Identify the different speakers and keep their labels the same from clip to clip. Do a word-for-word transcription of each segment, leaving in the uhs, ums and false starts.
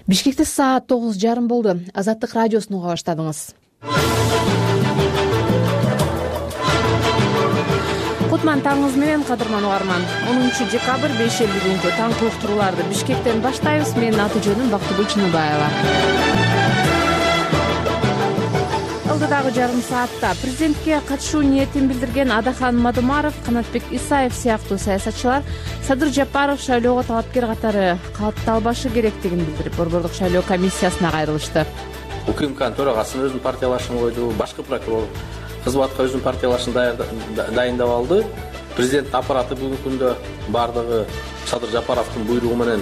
Speaker 1: Бишкекте саат тогуз жарым болду. Азаттык радиосун уга баштадыңыз. Кутман таңыңыз менен, кадырман угарман. онунчу декабрь бейшемби күнкү таңкы уктурууларды Бишкектен баштайбыз. Менин аты жөнүм Бактыгүл Чыныбаева. Алдыдагы жарым саатта президентке катышуу ниетин билдирген Адахан Мадумаров, Канатбек Исаев сыяктуу саясатчылар Садыр Жапаров шайлоого талапкер катары катталбашы керектигин билдирип, борбордук шайлоо комиссиясына кайрылышты.
Speaker 2: УКМКнын төрагасы өзүнүн партиялашын койду, башкы прокурор кызматка өзүнүн партиялашын дайындап алды. Президент аппараты бүгүнкү күндө бардыгы Садыр Жапаровдун буйругу менен,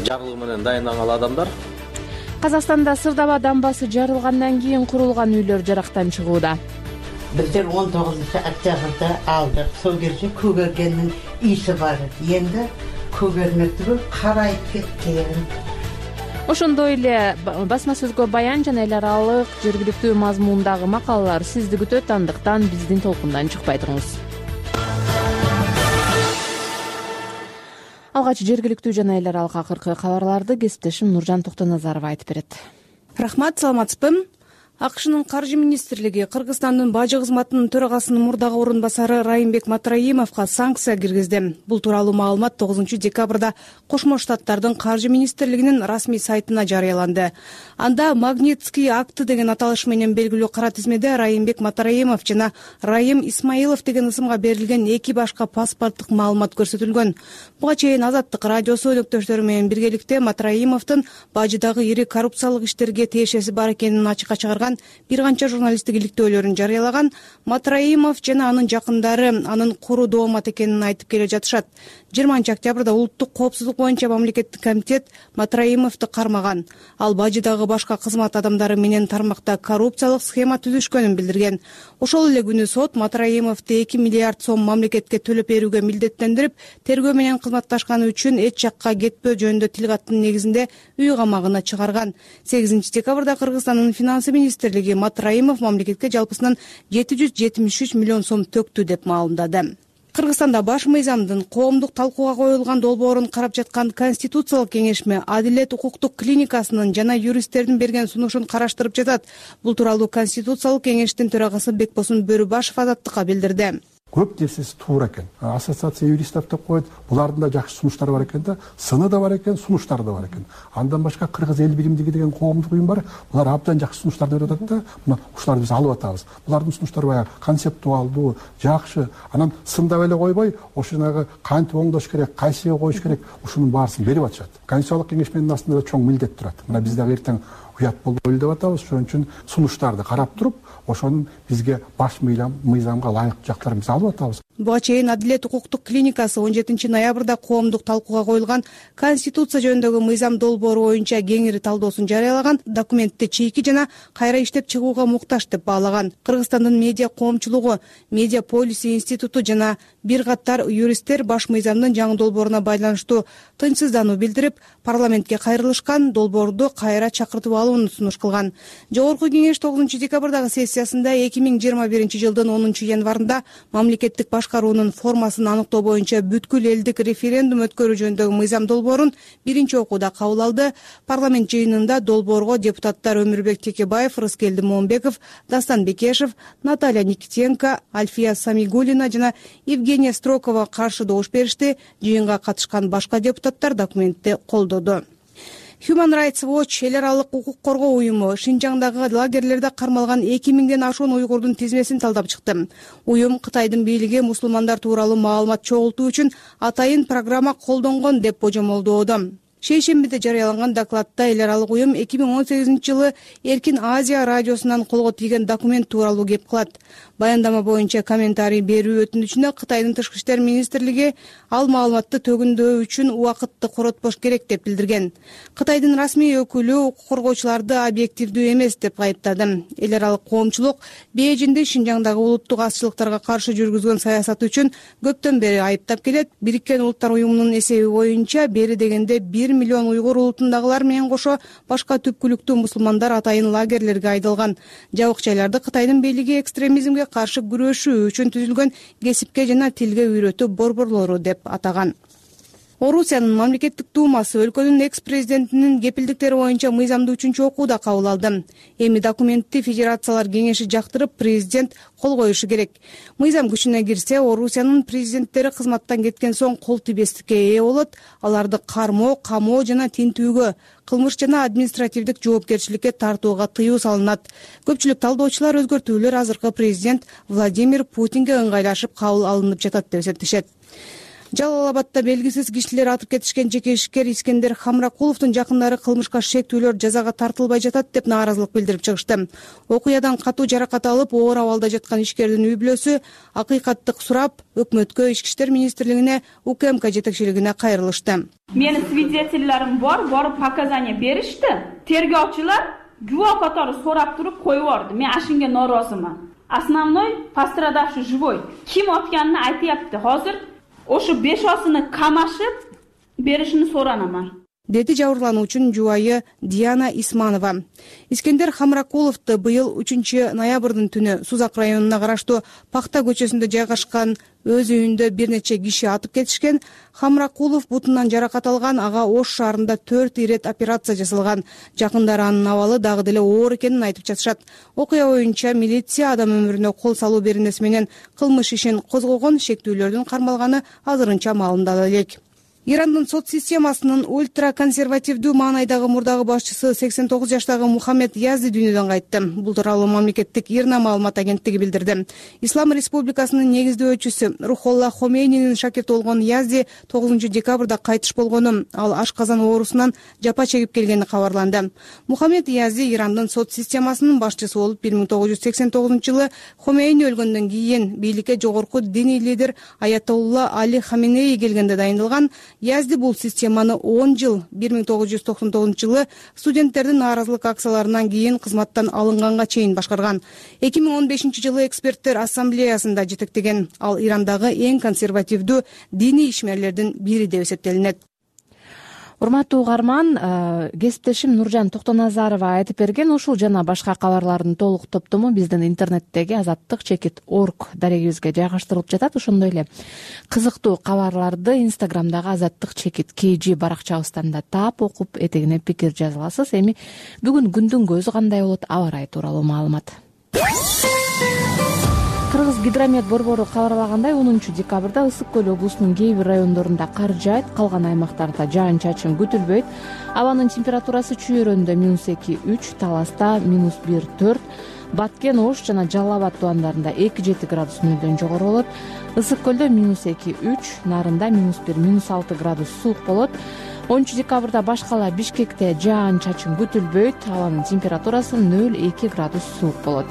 Speaker 2: жарлыгы менен дайындалган адамдар.
Speaker 1: Казакстанда Сырдаба дамбасы жарылгандан кийин курулган үйлөр жарактан чыгууда.
Speaker 3: Биздер он тогузунчу октябрда алдык. Сол кезде көгергендин иси бар. Энди көгермек түгүл карайып кеткен.
Speaker 1: Ошондой эле басма сөзгө баян жана эл аралык жергиликтүү мазмундагы макалалар сизди күтөт, андыктан биздин толкундан чыкпай туруңуз. Алгач жергиликтүү жана эл аралык акыркы кабарларды кесиптешим Нуржан Токтоназарова айтып берет.
Speaker 4: Рахмат, саламатсызбы? АКШнын каржы министрлиги Кыргызстандын бажы кызматынын төрагасынын мурдагы орун басары Райымбек Матраимовго санкция киргизди. Бул тууралуу маалымат тогузунчу декабрда Кошмо Штаттардын каржы министрлигинин расмий сайтына жарыяланды. Анда Магнитский акты деген аталыш менен белгилүү кара тизмеде Райымбек Матраимов жана Райым Исмаилов деген ысымга берилген эки башка паспорттук маалымат көрсөтүлгөн. Буга чейин Азаттык радиосу өнөктөштөрү менен биргеликте Матраимовдун бажыдагы ири коррупциялык иштерге тиешеси бар экенин ачыкка чыгарган бир канча журналисттик иликтөөлөрүн жарыялаган. Матраимов жана анын жакындары анын куру доомат экенин айтып келе жатышат. жыйырманчы октябрда улуттук коопсуздук боюнча мамлекеттик комитет Матраимовду кармаган. Ал бажыдагы башка кызмат адамдары менен тармакта коррупциялык схема түзүшкөнүн билдирген. Ошол эле күнү сот Матраимовду эки миллиард сом мамлекетке төлөп берүүгө милдеттендирип, тергөө менен кызматташканы үчүн эч жакка кетпөө жөнүндө тил каттын негизинде үй камагына чыгарган. сегизинчи декабрда Кыргызстандын финансы министрлиги Матраимов мамлекетке жалпысынан жети жүз жетимиш үч миллион сом төктү деп маалымдады. Кыргызстанда баш мыйзамдын коомдук талкууга коюлган долбоорун карап жаткан Конституциялык кеңешме Адилет укуктук клиникасынын жана юристтердин берген сунушун караштырып жатат. Бул тууралуу Конституциялык кеңештин төрагасы Бекбосун Бөрүбашев Азаттыкка билдирди.
Speaker 5: Көп нерсеси туура экен. Ассоциация юристов деп коет. Булардын да жакшы сунуштары бар экен да, сыны да бар экен, сунуштары да бар экен. Андан башка Кыргыз эл билимдиги деген коомдук уюм бар. Булар абдан жакшы сунуштарды берип атат да, мына ушуларды биз алып атабыз. Булардын сунуштары баягы концептуалдуу, жакшы. Анан сындап эле койбой, ошонагы кантип оңдош керек, кайсыга коюш керек, ушунун баарысын берип атышат. Конституциялык кеңешменин астында чоң милдет турат. Мына биз дагы эртең уят болбойлу деп атабыз. Ошон үчүн сунуштарды карап туруп, ошонун бизге баш мыйзамга ылайыктуу жактарын биз алып атабыз.
Speaker 4: Буга чейин Адилет укуктук клиникасы он жетинчи ноябрда коомдук талкууга коюлган Конституция жөнүндөгү мыйзам долбоору боюнча кеңири талдоосун жарыялаган. Документти чийки жана кайра иштеп чыгууга муктаж деп баалаган. Кыргызстандын медиа коомчулугу, Медиа полиси институту жана бир катар юристтер баш мыйзамдын жаңы долбооруна байланыштуу тынчсыздануу билдирип, парламентке кайрылышкан, долбоорду кайра чакыртып алууну сунуш кылган. Жогорку кеңеш тогузунчу декабрдагы сессиясында эки миң жыйырма биринчи жылдын онунчу январында мамлекеттик башкаруунун формасын аныктоо боюнча бүткүл элдик референдум өткөрүү жөнүндөгү мыйзам долбоорун биринчи окууда кабыл алды. Парламент жыйынында долбоорго депутаттар Өмүрбек Текебаев, Рыскелди Момбеков, Дастан Бекешев, Наталья Никитенко, Альфия Самигуллина жана Евгения Строкова каршы добуш беришти. Жыйынга катышкан башка депутаттар документти колдоду. Human Rights Watch эл аралык укук коргоо уюму Шинжаңдагы лагерлерде кармалган эки миңден ашуун уйгурдун тизмесин талдап чыкты. Уюм Кытайдын бийлиги мусулмандар тууралуу маалымат чогултуу үчүн атайын программа колдонгон деп божомолдоодо. Шейшембиде жарыяланган докладта эл аралык уюм эки миң он сегизинчи жылы Эркин Азия радиосунан колго тийген документ тууралуу кеп кылат. Баяндама боюнча комментарий берүү өтүнүчүнө Кытайдын тышкы иштер министрлиги ал маалыматты төгүндөө үчүн убакытты коротпош керек деп билдирген. Кытайдын расмий өкүлү укук коргоочуларды объективдүү эмес деп айыптады. Эл аралык коомчулук Бейжиңде Шинжаңдагы улуттук азчылыктарга каршы жүргүзгөн саясаты үчүн көптөн бери айыптап келет. Бириккен Улуттар уюмунун эсеби боюнча бери дегенде бир миллион уйгур улутундагылар менен кошо башка түпкүлүктүү мусулмандар атайын лагерлерге айдалган. Жабык жайларды Кытайдын бийлиги экстремизмге каршы күрөшүү үчүн түзүлгөн кесипке жана тилге үйрөтүү борборлору деп атаган. Орусиянын мамлекеттик думасы өлкөнүн экс-президентинин кепилдиктери боюнча мыйзамды үчүнчү окууда кабыл алды. Эми документти Федерациялар кеңеши жактырып, президент кол коюшу керек. Мыйзам күчүнө кирсе, Орусиянын президенттери кызматтан кеткен соң кол тийбестикке ээ болот. Аларды кармоо, камоо жана тинтүүгө, кылмыш жана административдик жоопкерчиликке тартууга тыюу салынат. Көпчүлүк талдоочулар өзгөртүүлөр азыркы президент Владимир Путинге ыңгайлашып кабыл алынып жатат деп эсептешет. Жалал Абадта белгисиз кишилер атып кетишкен жеке ишкер Искендер Хамракуловдун жакындары кылмышка шектүүлөр жазага тартылбай жатат деп нааразылык билдирип чыгышты. Окуядан катуу жаракат алып, оор абалда жаткан ишкердин үй-бүлөсү акыйкаттык сурап, өкмөткө, Ички иштер министрлигине, УКМК жетекчилигине кайрылышты.
Speaker 6: Менин свидетельлерим бар, барып показания беришти. Тергөөчүлөр жуво катары сурап туруп коюп берди. Мен ашинге нооразымын. Основной пострадавший живой. Ким атканын айтыпты. Азыр ошо бешосуну камашып беришини соранамын,
Speaker 4: деди жабырлануучунун жубайы Диана Исманова. Искендер Хамракуловду быйыл үчүнчү ноябрдын түнү Сузак районуна караштуу Пакта көчөсүндө жайгашкан өз үйүндө бир нече киши атып кетишкен. Хамракулов бутунан жаракат алган, ага Ош шаарында төрт ирет операция жасалган. Жакындары анын абалы дагы деле оор экенин айтып жатышат. Окуя боюнча милиция адам өмүрүнө кол салуу беренеси менен кылмыш ишин козгогон, шектүүлөрдүн кармалганы азырынча маалымдала элек. Ирандын сот системасынын ультраконсервативдүү маанайдагы мурдагы башчысы сексен тогуз жаштагы Мухаммед Язди дүйнөдөн кайтты. Бул тууралуу мамлекеттик ИРНА маалымат агенттиги билдирди. Ислам Республикасынын негиздөөчүсү Рухолла Хомейнинин шакирти болгон Язди тогузунчу декабрда кайтыш болгону, ал ашказан оорусунан жапа чегип келгени кабарланды. Мухаммед Язди Ирандын сот системасынын башчысы болуп бир миң тогуз жүз сексен тогузунчу жылы Хомейни өлгөндөн кийин бийликке жогорку диний лидер Аятолла Али Хаменеи келгенде дайындалган. Язди бул системаны он жыл бир миң тогуз жүз токсон тогузунчу жылы студенттердин нааразылык акцияларынан кийин кызматтан алынганга чейин башкарган. эки миң он бешинчи жылы эксперттер ассамблеясында жетектеген. Ал Ирандагы эң консервативдүү диний ишмерлердин бири деп эсептелинет.
Speaker 1: Урматтуу угарман, кесиптешим Нуржан Токтоназарова айтып берген ушул жана башка кабарлардын толук топтому биздин интернеттеги азаттык чекит точка орг дарегибизге жайгаштырылып жатат. Ошондой эле кызыктуу кабарларды Инстаграмдагы азаттык чекит кей жи баракчабыздан да таап, окуп, этегине пикир жаза аласыз. Эми бүгүн күндүн көзү кандай болот, аба ырайы тууралуу маалымат. Кыргыз гидромет борбору кабарлагандай, онунчу декабрда Ысык көл облусунун кээ бир райондорунда кар жаайт, калган аймактарда жаан-чачын күтүлбөйт. Абанын температурасы Чүйөрөндө минус эки үч, Таласта минус бир төрт, Баткен, Ош жана Жалал Абад тубандарында эки жети градус нөлдөн жогору болот. Ысык көлдө минус эки үч, Нарында минус бир, минус алты градус суук болот. онунчу декабрда башкала Бишкекте жаан-чачын күтүлбөйт, абанын температурасы нөл эки градус суук болот.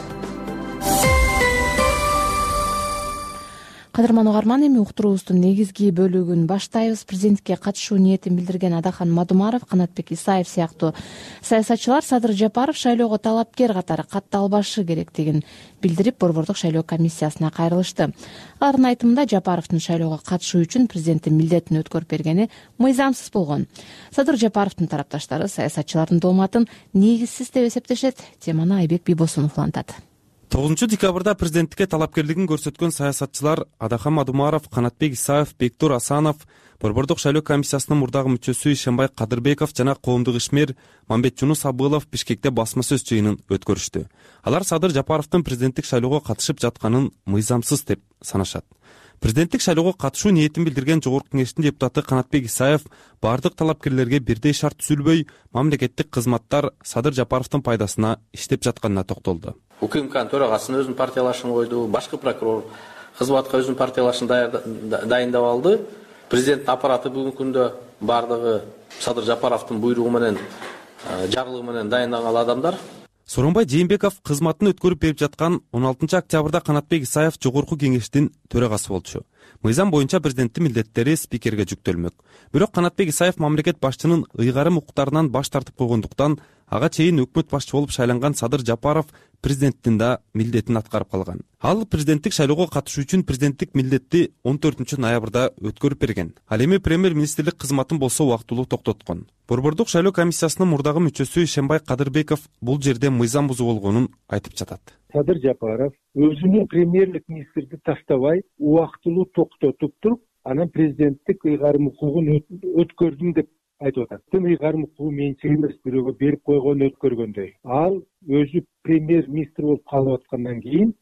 Speaker 1: Кадырман угарман, эми уктуруубуздун негизги бөлүгүн баштайбыз. Президентке катышуу ниетин билдирген Адахан Мадумаров, Канатбек Исаев сыяктуу саясатчылар Садыр Жапаров шайлоого талапкер катары катталбашы керектигин билдирип, борбордук шайлоо комиссиясына кайрылышты. Алардын айтымында Жапаровдун шайлоого катышуу үчүн президенттин милдетин өткөрүп бергени мыйзамсыз болгон. Садыр Жапаровдун тарапташтары саясатчылардын дооматын негизсиз деп эсептешет. Теманы Айбек Бийбосунов улантат.
Speaker 7: тогузунчу декабрда президенттикке талапкерлигин көрсөткөн саясатчылар Адахан Мадумаров, Канатбек Исаев, Бектур Асанов, борбордук шайлоо комиссиясынын мурдагы мүчөсү Ишенбай Кадырбеков жана коомдук ишмер Мамбетжунус Абылов Бишкекте басма сөз жыйынын өткөрүштү. Алар Садыр Жапаровдун президенттик шайлоого катышып жатканын мыйзамсыз деп санашат. Президенттик шайлоого катышуу ниетин билдирген Жогорку кеңештин депутаты Канатбек Исаев бардык талапкерлерге бирдей шарт түзүлбөй, мамлекеттик кызматтар Садыр Жапаровдун пайдасына иштеп жатканына токтолду.
Speaker 2: УКМКнын төрагасынын өзүнүн партиялашын койду, башкы прокурор кызматка өзүнүн партиялашын дайындап алды. Президенттин аппараты бүгүнкү күндө бардыгы Садыр Жапаровдун буйругу менен, жарлыгы менен дайындалган адамдар.
Speaker 7: Сооронбай Жээнбеков кызматын өткөрүп берип жаткан он алтынчы октябрда Канатбек Исаев Жогорку кеңештин төрагасы болчу. Мыйзам боюнча президенттин милдеттери спикерге жүктөлмөк. Бирок Канатбек Исаев мамлекет башчынын ыйгарым укуктарынан баш тартып койгондуктан ага чейин өкмөт башчы болуп шайланган Садыр Жапаров президенттин да милдетин аткарып калган. Ал президенттик шайлоого катышуу үчүн президенттик милдетти он төртүнчү ноябрда өткөрүп берген. Ал эми премьер-министрлик кызматын болсо убактылуу токтоткон. Борбордук шайлоо комиссиясынын мурдагы мүчөсү Ишенбай Кадырбеков бул жерде мыйзам бузуу болгонун айтып жатат.
Speaker 8: Садыр Жапаров өзүнүн премьерлик министрди таштабай убактылуу токтотуп туруп, анан президенттик ыйгарым укугун өткөрдүм деп айтып атат. Тын ыйгарым укугу менчик эмес, бирөөгө берип койгон өткөргөндөй. Ал өзү премьер-министр болуп калып аткандан кийин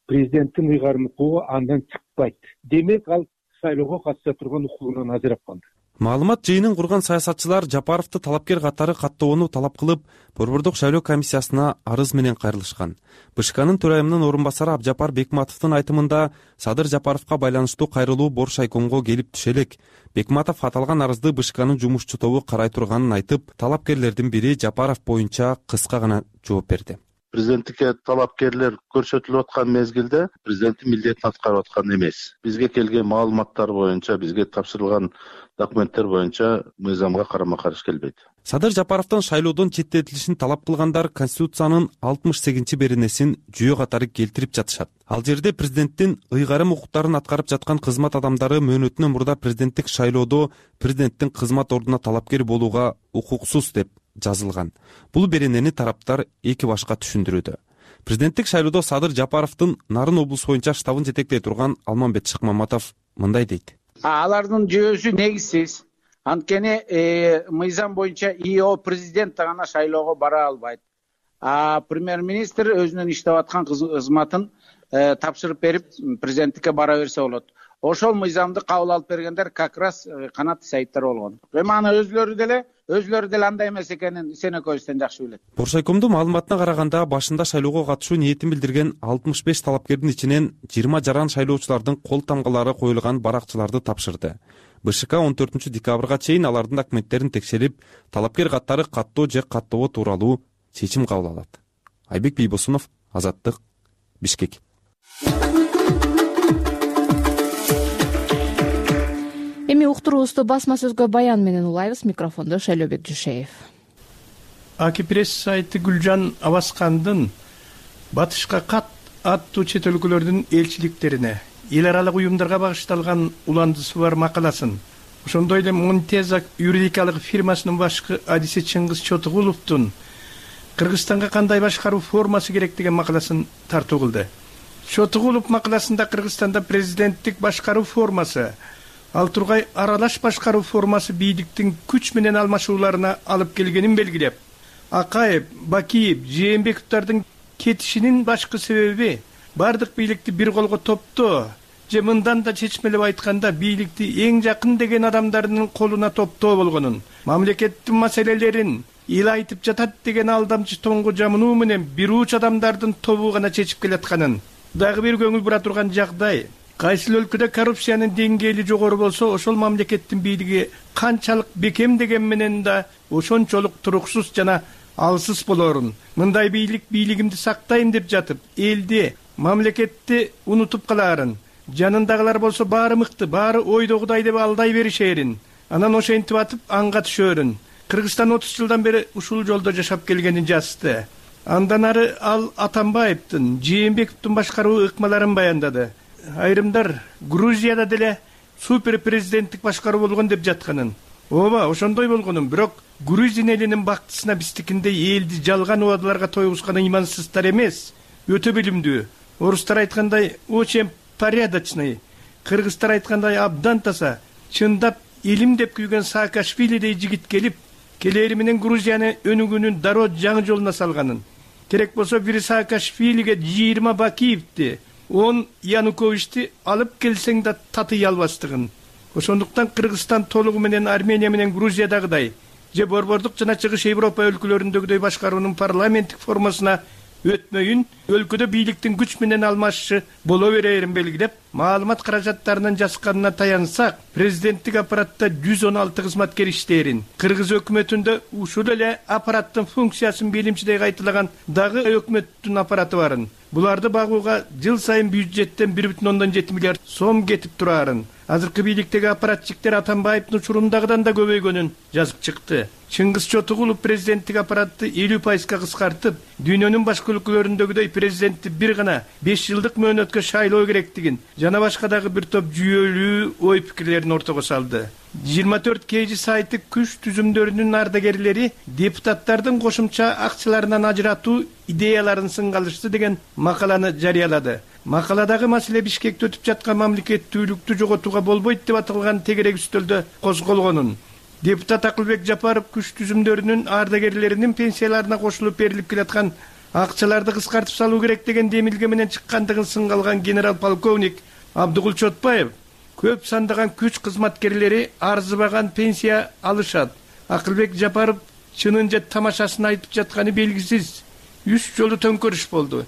Speaker 8: президенттин ыйгарым укугу андан чыкпайт. Демек ал шайлоого катыша турган укугунан ажырап калды.
Speaker 7: Маалымат жыйынын курган саясатчылар Жапаровду талапкер катары каттоону талап кылып, Борбордук шайлоо комиссиясына арыз менен кайрылышкан. БШКнын төрайымынын орун басары Абжапар Бекматовдун айтымында Садыр Жапаровго байланыштуу кайрылуу Боршайкомго келип түшө элек. Бекматов аталган арызды БШКнын жумушчу тобу карай турганын айтып, талапкерлердин бири Жапаров боюнча кыска гана жооп берди.
Speaker 9: Президенттикке талапкерлер көрсөтүлүп аткан мезгилде президенттин милдетин аткарып аткан эмес. Бизге келген маалыматтар боюнча, бизге тапшырылган документтер боюнча мыйзамга карама-каршы келбейт.
Speaker 7: Садыр Жапаровдон шайлоодон четтетилишин талап кылгандар Конституциянын алтымыш сегизинчи беренесин жүйө катары келтирип жатышат. Ал жерде президенттин ыйгарым укуктарын аткарып жаткан кызмат адамдары мөөнөтүнөн мурда президенттик шайлоодо президенттин кызмат ордуна талапкер болууга укуксуз деп жазылган. Бул беренени тараптар эки башка түшүндүрүүдө. Президенттик шайлоодо Садыр Жапаровдун Нарын облусу боюнча штабын жетектей турган Алмамбет Шыкмаматов мындай дейт.
Speaker 10: Алардын жөөсү негизсиз. Анткени мыйзам боюнча ИО президент гана шайлоого бара албайт. А премьер-министр өзүнүн иштеп аткан кызматын тапшырып берип президенттикке бара берсе болот. Ошол мыйзамды кабыл алып бергендер как раз Канат Исаевдер болгон. Эми аны өзүлөрү деле өзүлөрү деле андай эмес экенин сен экөөбүздөн жакшы билет.
Speaker 7: Боршайкомдун маалыматына караганда, башында шайлоого катышуу ниетин билдирген алтымыш беш талапкердин ичинен жыйырма жаран шайлоочулардын кол тамгалары коюлган баракчыларды тапшырды. БШК он төртүнчү декабрга чейин алардын документтерин текшерип, талапкер катары каттоо же каттабоо тууралуу чечим кабыл алат. Айбек Бийбосунов, Азаттык, Бишкек.
Speaker 1: Эми уктуруубузду басма сөзгө баян менен улайбыз. Микрофондо Шайлообек Жушеев.
Speaker 11: Аки пресс сайты Гүлжан Абаскандын батышка кат аттуу чет өлкөлөрдүн элчиликтерине, эл аралык уюмдарга багышталган уландысы бар макаласын, ошондой эле Монтезак юридикалык фирмасынын башкы адиси Чыңгыз Чотугуловдун Кыргызстанга кандай башкаруу формасы керек деген макаласын тартуу кылды. Чотугулов макаласында Кыргызстанда президенттик башкаруу формасы, ал тургай аралаш башкаруу формасы бийликтин күч менен алмашууларына алып келгенин белгилеп, Акаев, Бакиев, Жээнбековдордун кетишинин башкы себеби бардык бийликти бир колго топтоо же мындан да чечмелеп айтканда бийликти эң жакын деген адамдардын колуна топтоо болгонун, мамлекеттин маселелерин эл айтып жатат деген алдамчы тоңго жамынуу менен бир уч адамдардын тобу гана чечип келатканын, дагы бир көңүл бура турган жагдай, кайсыл өлкөдө коррупциянын деңгээли жогору болсо, ошол мамлекеттин бийлиги канчалык бекем деген менен да ошончолук туруксуз жана алсыз болорун. Мындай бийлик бийлигимди сактайм деп жатып, элди, мамлекетти унутуп калаарын, жанындагылар болсо баары мыкты, баары ойдогудай деп алдай беришерин, анан ошентип атып анга түшөрүн. Кыргызстан отуз жылдан бери ушул жолдо жашап келгенин жазды. Андан ары ал Атамбаевдин, Жээнбековдун башкаруу ыкмаларын баяндады. Айрымдар Грузияда деле супер президенттик башкаруу болгон деп жатканын. Ооба, ошондой болгонун, бирок Грузин элинин бактысына биздикиндей элди жалган убадаларга тойгузган ыймансыздар эмес, өтө билимдүү. Орустар айткандай очень порядочный, кыргыздар айткандай абдан таза, чындап элим деп күйгөн Саакашвилидей жигит келип, келери менен Грузияны өнүгүүнүн дароо жаңы жолуна салганын. Керек болсо бир Саакашвилиге жыйырма Бакиевди, он Януковичти алып келсең да татый албастыгын. Ошондуктан Кыргызстан толугу менен Армения менен Грузиядагыдай же борбордук жана Чыгыш Европа өлкөлөрүндөгүдөй башкаруунун парламенттик формасына өтмөйүн, өлкөдө бийликтин күч менен алмашышы боло берерин белгилеп, маалымат каражаттарынын жасканына таянсак, президенттик аппаратта жүз он алты кызматкер иштээрин, Кыргыз өкмөтүндө ушул эле аппараттын функциясын белимчидей кайталаган дагы өкмөттүн аппараты барын. Буларды багууга жыл сайын бюджеттен бир бүтүн ондон жети миллиард сом кетип турарын. Азыркы бийликтеги аппаратчиктер Атамбаевдин учурундагыдан да көбөйгөнүн жазып чыкты. Чыңгыз Чотугулов президенттик аппаратты элүү пайызга кыскартып, дүйнөнүн башка өлкөлөрүндөгүдөй президентти бир гана беш жылдык мөөнөткө шайлоо керектигин жана башка дагы бир топ жүйөлүү ой пикирлерин ортого салды. жыйырма төрт кей жи сайты күч түзүмдөрүнүн ардагерлери депутаттардын кошумча акчаларынан ажыратуу идеяларын сынга алышты деген макаланы жарыялады. Макаладагы маселе Бишкекте өтүп жаткан мамлекеттүүлүктү жоготууга болбойт деп аталган тегерек үстөлдө козголгонун, депутат Акылбек Жапаров күч түзүмдөрүнүн ардагерлеринин пенсияларына кошулуп берилип келаткан акчаларды кыскартып салуу керек деген демилге менен чыккандыгын сынга алган генерал полковник Абдыгул Чотбаев көп сандаган күч кызматкерлери арзыбаган пенсия алышат. Акылбек Жапаров чынын же тамашасын айтып жатканы белгисиз. Үч жолу төңкөрүш болду.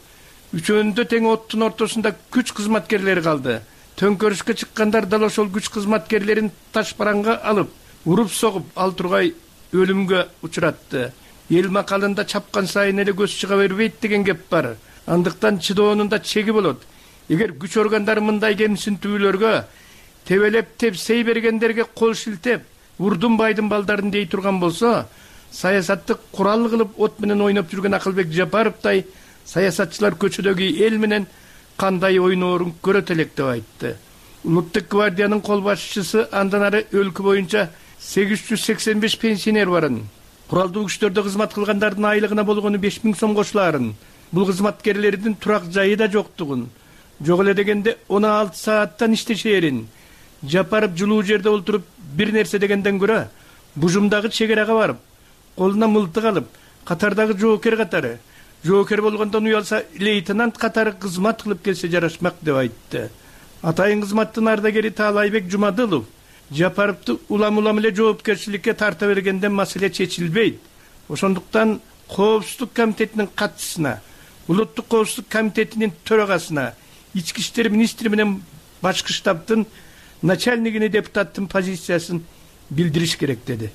Speaker 11: Үчөөндө тең оттун ортосунда күч кызматкерлери калды. Төңкөрүшкө чыккандар дал ошол күч кызматкерлерин таш бараңга алып, уруп согуп ал тургай өлүмгө учуратты. Эл макалында чапкан сайын эле көз чыга бербейт деген кеп бар. Андыктан чыдоонун да чеги болот. Эгер күч органдары мындай кемсинтүүлөргө тебелеп тепсей бергендерге кол шилтеп, урдун байдын балдарын дей турган болсо, саясатты курал кылып от менен ойноп жүргөн Акылбек Жапаровдай саясатчылар көчөдөгү эл менен кандай ойноорун көрөт элек деп айтты. Улуттук гвардиянын кол башчысы андан ары өлкө боюнча сегиз жүз сексен беш пенсионер барын, куралдуу күчтөрдө кызмат кылгандардын айлыгына болгону беш миң сом кошулаарын, бул кызматкерлердин турак жайы да жоктугун, жок эле дегенде он алты сааттан иштешээрин, Жапаров жылуу жерде олтуруп бир нерсе дегенден көрө бужумдагы чегерага барып, колуна мылтык алып, катардагы жоокер катары, жоокер болгондон уялса лейтенант катары кызмат кылып келсе жарашмак деп айтты. Атайын кызматтын ардагери Таалайбек Жумадылов Жапаровду улам-улам эле жоопкерчиликке тарта бергенден маселе чечилбейт. Ошондуктан Коопсуздук комитетинин катчысына, Улуттук коопсуздук комитетинин төрагасына, Ички иштер министри менен башкы штабтын начальнигине депутаттын позициясын билдириш керек деди.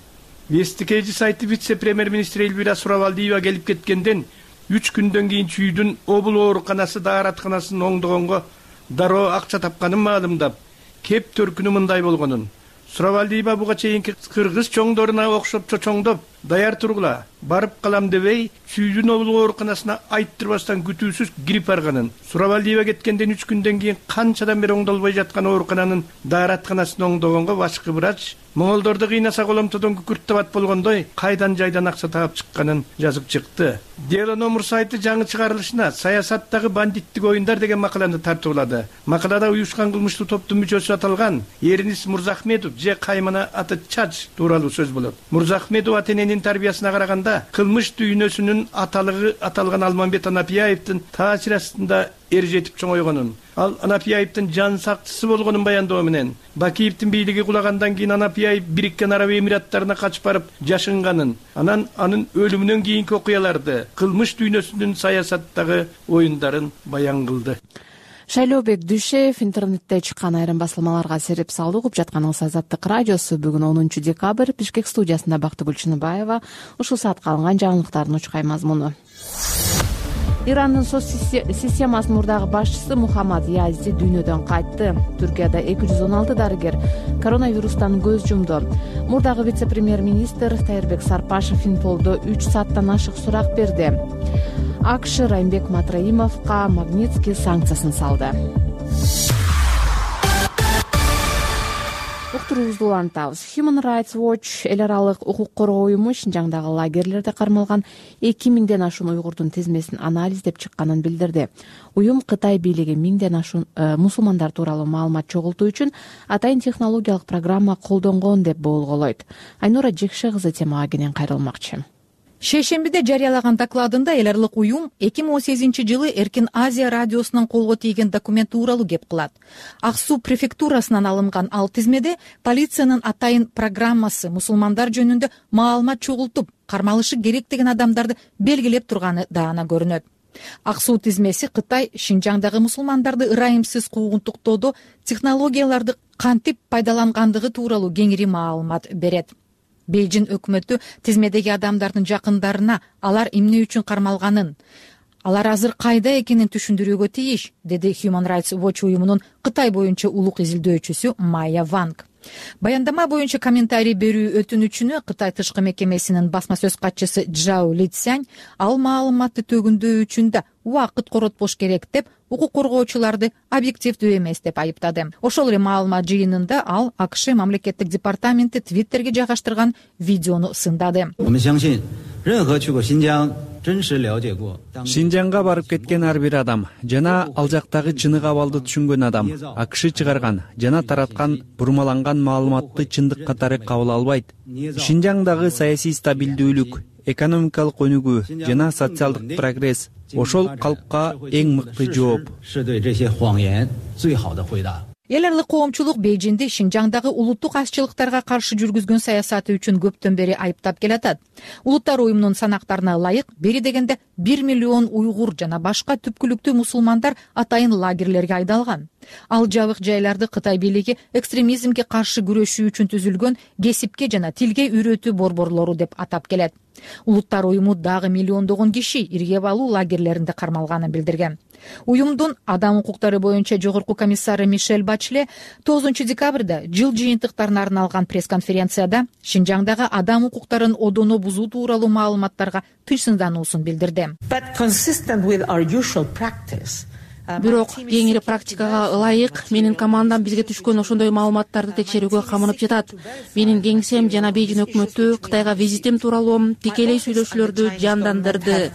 Speaker 11: Вестикейди сайты вице-премьер-министр Эльвира Суравалдиева келип кеткенден үч күндөн кийин чүйдүн обул ооруканасы дааратканасынын оңдогонго дароо акча тапканын маалымдап, кеп төркүнү мындай болгонун. Суравалдиева буга чейинки кыргыз чоңдоруна окшоп чочоңдоп, даяр тургула, барып калам дебей, чүйдүн обул ооруканасына айттырбастан күтүүсүз кирип барганын. Суравалдиева кеткенден үч күндөн кийин канчадан бери оңдолбой жаткан оорукананын дааратканасын оңдогонго башкы врач моңолдорду кыйнаса коломтодон күкүрт табат болгондой кайдан жайдан акча таап чыкканын жазып чыкты. Дело номер сайты жаңы чыгарылышына саясаттагы бандиттик оюндар деген макаланы тартуулады. Макалада уюшкан кылмыштуу топтун мүчөсү аталган Эринис Мурзахметов же Каймана аты Чач тууралуу сөз болот. Мурзахметов ата-эненин тарбиясына караганда кылмыш дүйнөсүнүн аталыгы аталган Алмамбет Анапияевдин таасир астында эр жетип чоңойгонун, ал Анапияевдин жан сактысы болгонун баяндоо менен, Бакиевдин бийлиги кулагандан кийин Анапияев Бириккен Араб Эмираттарына качып барып жашынганын, анан анын өлүмүнөн кийинки окуяларды, кылмыш дүйнөсүнүн саясаттагы оюндарын баян кылды.
Speaker 1: Шайлообек Дүйшеев интернетте чыккан айрым басылмаларга сереп салды. Угуп жатканыңыз Азаттык радиосу. Бүгүн онунчу декабрь. Бишкек студиясында Бактыгүл Чыныбаева. Ушул саатка алынган жаңылыктардын учкай мазмуну. Ирандын соц системасынын мурдагы башчысы Мухаммад Язди дүйнөдөн кайтты. Түркияда эки жүз он алты дарыгер коронавирустан көз жумду. Мурдагы вице-премьер-министр Тайырбек Сарпашев Инполдо үч сааттан ашык сурак берди. АКШ Раймбек Матраимовго Магнитский санкциясын салды. Уктуруубузду улантабыз. Human Rights Watch эл аралык укук коргоо уюму Шинжаңдагы лагерлерде кармалган эки миңден ашуун уйгурдун тизмесин анализдеп чыкканын билдирди. Уюм Кытай бийлиги миңден ашуун мусулмандар тууралуу маалымат чогултуу үчүн атайын технологиялык программа колдонгон деп болголойт. Айнура Жекше кызы темага кенен кайрылмакчы.
Speaker 12: Шейшембиде жарыялаган докладында эл аралык уюм эки миң он сегизинчи жылы Эркин Азия радиосунун колго тийген документ тууралуу кеп кылат. Ак Суу префектурасынан алынган ал тизмеде полициянын атайын программасы мусулмандар жөнүндө маалымат чогултуп, кармалышы керек деген адамдарды белгилеп турганы даана көрүнөт. Ак Суу тизмеси Кытай Шинжаңдагы мусулмандарды ырайымсыз куугунтуктоодо технологияларды кантип пайдалангандыгы тууралуу кеңири маалымат берет. Бейжин өкмөтү тизмедеги адамдардын жакындарына алар эмне үчүн кармалганын, алар азыр кайда экенин түшүндүрүүгө тийиш, деди Human Rights Watch уюмунун Кытай боюнча улук изилдөөчүсү Майя Ванг. Баяндама боюнча комментарий берүү өтүнүчүнө Кытай тышкы мекемесинин басма сөз катчысы Джао Литсянь ал маалыматты төгүндөө үчүн да убакыт коротпош керек деп, укук коргоочуларды объективдүү эмес деп айыптады. Ошол эле маалымат жыйынында ал АКШ мамлекеттик департаменти Твиттерге жайгаштырган видеону сындады.
Speaker 13: Шинжаңга барып кеткен ар бир адам жана ал жактагы чыныгы абалды түшүнгөн адам АКШ чыгарган жана тараткан бурмаланган маалыматты чындык катары кабыл албайт. Шинжаңдагы саясий стабилдүүлүк, экономикалык өнүгүү жана социалдык прогресс ошол калпка эң мыкты жооп.
Speaker 12: Эл аралык коомчулук Бейжиңди Шинжаңдагы улуттук азчылыктарга каршы жүргүзгөн саясаты үчүн көптөн бери айыптап келатат. Улуттар уюмунун санактарына ылайык, бери дегенде бир миллион уйгур жана башка түпкүлүктүү мусулмандар атайын лагерлерге айдалган. Ал жабык жайларды Кытай бийлиги экстремизмге каршы күрөшүү үчүн түзүлгөн кесипке жана тилге үйрөтүү борборлору деп атап келет. Улуттар уюму дагы миллиондогон киши иргеп алуу лагерлеринде кармалганын билдирген. Уюмдун адам укуктары боюнча жогорку комиссары Мишель Бачле тогузунчу декабрда жыл жыйынтыктарына арналган пресс-конференцияда Шинжаңдагы адам укуктарын одоно бузуу тууралуу маалыматтарга тыйсындануусун билдирди.
Speaker 1: Бирок кеңири практикага ылайык менин командам бизге түшкөн ошондой маалыматтарды текшерүүгө камынып жатат. Менин кеңсем жана Бейжиң өкмөтү Кытайга визитим тууралуу тикелей сүйлөшүүлөрдү жандандырды.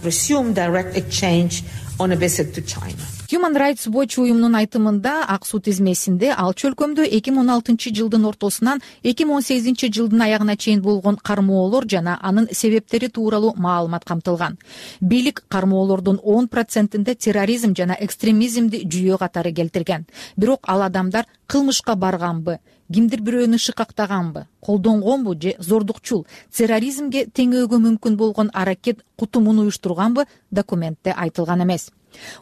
Speaker 12: Human Rights Watch уюмунун айтымында ак суу тизмесинде ал чөлкөмдө эки миң он алтынчы жылдын ортосунан эки миң он сегизинчи жылдын аягына чейин болгон кармоолор жана анын себептери тууралуу маалымат камтылган. Бийлик кармоолордун он процентинде терроризм жана экстремизмди жүйө катары келтирген. Бирок ал адамдар кылмышка барганбы, кимдир бирөөнү шыкактаганбы, колдонгонбу же зордукчул, терроризмге теңөөгө мүмкүн болгон аракет кутумун уюштурганбы документте айтылган эмес.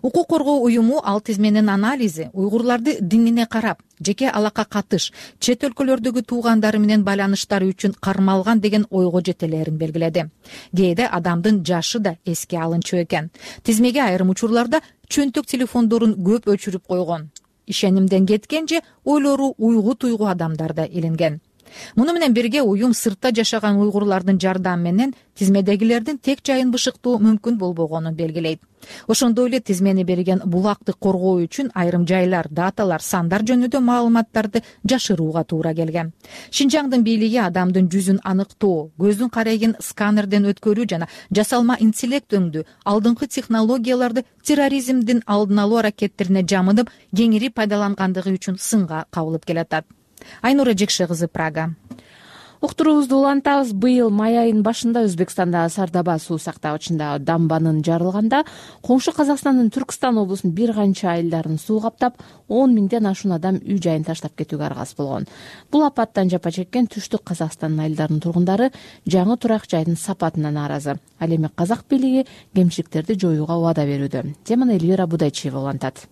Speaker 12: Укук коргоо уюму ал тизменин анализи уйгурларды динине карап, жеке алака катыш, чет өлкөлөрдөгү туугандары менен байланыштары үчүн кармалган деген ойго жетелерин белгиледи. Кээде адамдын жашы да эске алынчу экен. Тизмеге айрым учурларда чөнтөк телефондорун көп өчүрүп койгон. Ишенимден кеткен же ойлору уйгу туйгу адамдарда илинген. Муну менен бирге уюм сыртта жашаган уйгурлардын жардамы менен тизмедегилердин тек жайын бышыктоо мүмкүн болбогонун белгилейт. Ошондой эле тизмени берген булакты коргоо үчүн айрым жайлар, даталар, сандар жөнүндө маалыматтарды жашырууга туура келген. Шинжаңдын бийлиги адамдын жүзүн аныктоо, көздүн карайын сканерден өткөрүү жана жасалма интеллект өңдүү алдыңкы технологияларды терроризмдин алдын алуу аракеттерине жамынып, кеңири пайдалангандыгы үчүн сынга кабылып келатат. Айнура Жекше кызы, Прага.
Speaker 1: Уктуруубузду улантабыз. Быйыл май айынын башында Өзбекстандагы Сардоба суу сактагычындагы дамбанын жарылганда коңшу Казакстандын Түркстан облусунун бир канча айылдарын суу каптап, он миңден ашуун адам үй жайын таштап кетүүгө аргасыз болгон. Бул апаттан жапа чеккен түштүк Казакстандын айылдарынын тургундары жаңы турак жайдын сапатына нааразы. Ал эми казак бийлиги кемчиликтерди жоюуга убада берүүдө. Теманы Эльвира Будайчиева улантат.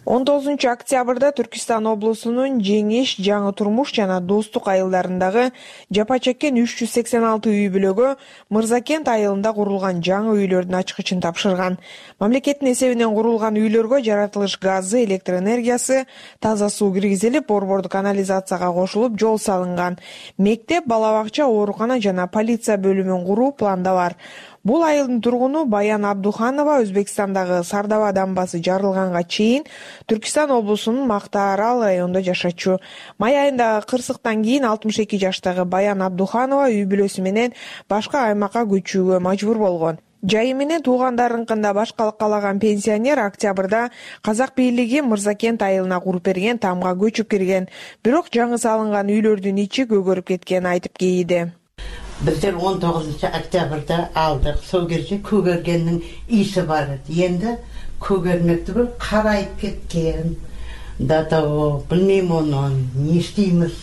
Speaker 14: он тогузунчу октябрда Түркистан облусунун Жеңиш, Жаңы Турмуш жана Достук айылдарындагы жапа чеккен үч жүз сексен алты үй бүлөгө Мырзакент айылында курулган жаңы үйлөрдүн ачкычын тапшырган. Мамлекеттин эсебинен курулган үйлөргө жаратылыш газы, электр энергиясы, таза суу киргизилип, борбордук канализацияга кошулуп, жол салынган. Мектеп, бала бакча, оорукана жана полиция бөлүмүн куруу планда бар. Бул айылдын тургуну Баян Абдуханова Өзбекстандагы Сардоба дамбасы жарылганга чейин Түркистан облусунун Мактаарал районунда жашачу. Май айындагы кырсыктан кийин алтымыш эки жаштагы Баян Абдуханова үй бүлөсү менен башка аймакка көчүүгө мажбур болгон. Жайы менен туугандарынкында башкалык каалаган пенсионер октябрда казак бийлиги Мырзакент айылына куруп берген тамга көчүп кирген. Бирок жаңы салынган үйлөрдүн ичи көгөрүп кеткенин айтып кейиди.
Speaker 3: Биздер он тогузунчу октябрда алдык. Сол кезде көгөргендин иси бар. Енді көгөрмөк түгүл карайып кеткен. Да того, билмейм оны, не иштеймиз?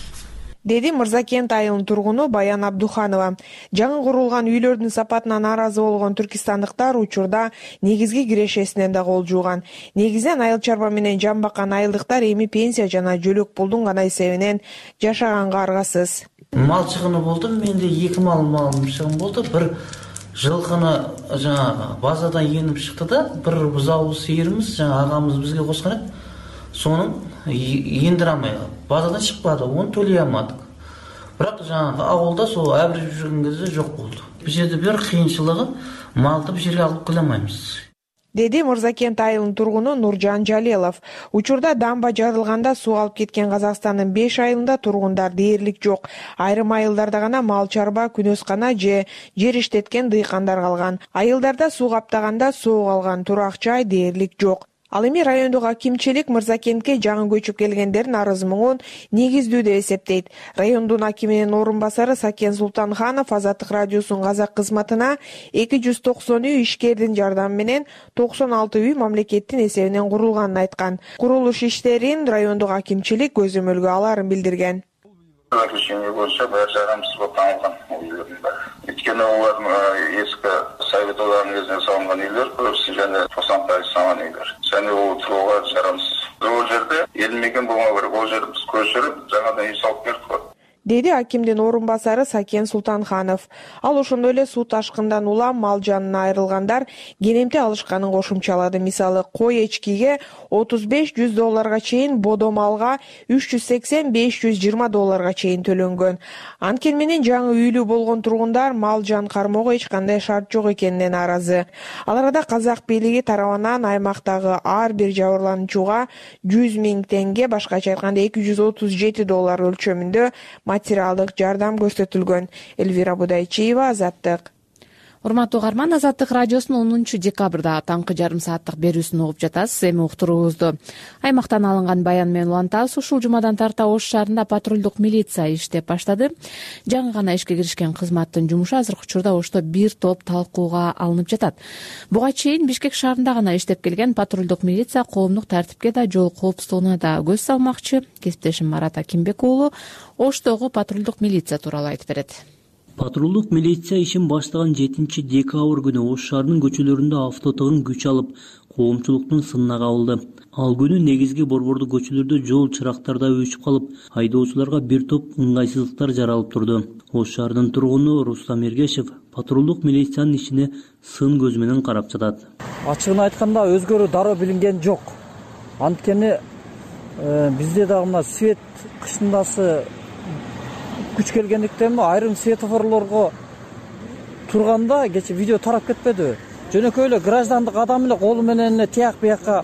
Speaker 14: Деди Мырзакент айылынын тургуну Баян Абдуханова. Жаңы курулган үйлөрдүн сапатына нааразы болгон түркистандыктар учурда негизги кирешесинен да кол жууган. Негизинен айыл чарба менен жан баккан айылдыктар эми пенсия жана жөлөк пулдун гана эсебинен жашаганга аргасыз.
Speaker 15: Мал чыгыны болду, менде эки мал малым чыгын болду. Бир жылкыны жана базадан енип чыкты да, бир бузау сыйырыбыз жана агамыз бизге коскон экен. Сонун ендире алмай базадан чыкпады, оны төлөй алмадык. Бирок жана авылда сол абрежип жүргөн кезде жок болду. Бул жерде бир кыйынчылыгы малды бул жерге алып келе алмайбыз.
Speaker 14: деди Мырзакент айылынын тургуну Нуржан Жалелов. Учурда дамба жарылганда суу алып кеткен Казакстандын беш айылында тургундар дээрлик жок. Айрым айылдарда гана мал чарба, күнөскана же жер иштеткен дыйкандар калган. Айылдарда суу каптаганда соо калган, турак жай дээрлик жок. Ал эми райондук акимчилик Мырзакентке жаңы көчүп келгендердин арыз муңун негиздүү деп эсептейт. Райондун акиминин орун басары Сакен Султанханов Азаттык радиосунун казак кызматына эки жүз токсон үй ишкердин жардамы менен токсон алты үй мамлекеттин эсебинен курулганын айткан. Курулуш иштерин райондук акимчилик көзөмөлгө аларын билдирген.
Speaker 16: Заключение боюнча баары жарамсыз болуп табылган үйлөрдүн баары. Өйткөнү олар эски совет одагынын кезинде салынган үйлөр, көбүсү жана токсон пайыз салган үйлөр. Және ол турууга жарамсыз. Бул жерде элмеген болмоо керек. Ол жерди биз көчүрүп, жаңадан үй салып бердик.
Speaker 14: Деди акимдин орун басары Сакен Султанханов. Ал ошондой эле суу ташкындан улам мал жанына айрылгандар кенемте алышканын кошумчалады. Мисалы, кой эчкиге отуз беш жүз долларга чейин, бодо малга үч жүз сексен беш жүз жыйырма долларга чейин төлөнгөн. Анткени менен жаңы үйлүү болгон тургундар мал жан кармоого эч кандай шарт жок экенинен нааразы. Ал арада казак бийлиги тарабынан аймактагы ар бир жабырлануучуга жүз миң теңге, башкача айтканда эки жүз отуз жети доллар өлчөмүндө материалдык жардам көрсөтүлгөн. Элвира Будайчиева, Азаттык.
Speaker 1: Урматтуу угарман, Азаттык радиосунун онунчу декабрда таңкы жарым сааттык берүүсүн угуп жатасыз. Эми уктуруубузду аймактан алынган баян менен улантабыз. Ушул жумадан тарта Ош шаарында патрулдук милиция иштеп баштады. Жаңы гана ишке киришкен кызматтын жумушу азыркы учурда Ошто бир топ талкууга алынып жатат. Буга чейин Бишкек шаарында гана иштеп келген патрулдук милиция коомдук тартипке да, жол коопсуздугуна да көз салмакчы. Кесиптешим Марат Акимбек уулу Оштогу патрулдук милиция тууралуу айтып берет.
Speaker 17: Патрулдук милиция ишин баштаган жетинчи декабрь күнү Ош шаарынын көчөлөрүндө автотыгын күч алып, коомчулуктун сынына кабылды. Ал күнү негизги борбордук көчөлөрдө жол чырактарда өчүп калып, айдоочуларга бир топ ыңгайсыздыктар жаралып турду. Ош шаарынын тургуну Рустам Эргешев патрулдук милициянын ишине сын көз менен карап жатат.
Speaker 18: Ачыгын айтканда өзгөрүү дароо билинген жок. Анткени бизде дагы мына свет кышындасы күч келгендиктен айрым светофорлорго турганда кече видео тарап кетпедиби? Жөнөкөй эле граждандык адам эле колу менен эле тияк бияка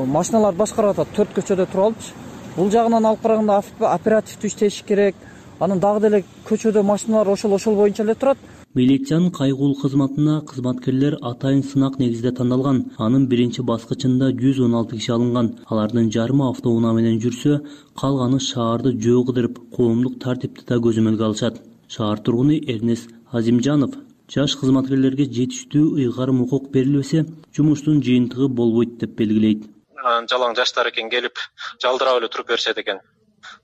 Speaker 18: машиналарды башкарып атат, төрт көчөдө туруп алыпчы. Бул жагынан алып караганда оперативдүү иштеш керек. Анын дагы деле көчөдө машиналар ошол ошол боюнча эле турат.
Speaker 17: Милициянын кайгылуу кызматына кызматкерлер атайын сынак негизде тандалган. Анын биринчи баскычында жүз он алты киши алынган. Алардын жарымы автоунаа менен жүрсө, калганы шаарды жөө кыдырып, коомдук тартипти да көзөмөлгө алышат. Шаар тургуну Эрнес Азимжанов жаш кызматкерлерге жетиштүү ыйгарым укук берилбесе, жумуштун жыйынтыгы болбойт деп белгилейт.
Speaker 19: Жалаң жаштар экен, келип жалдырап эле туруп беришет экен.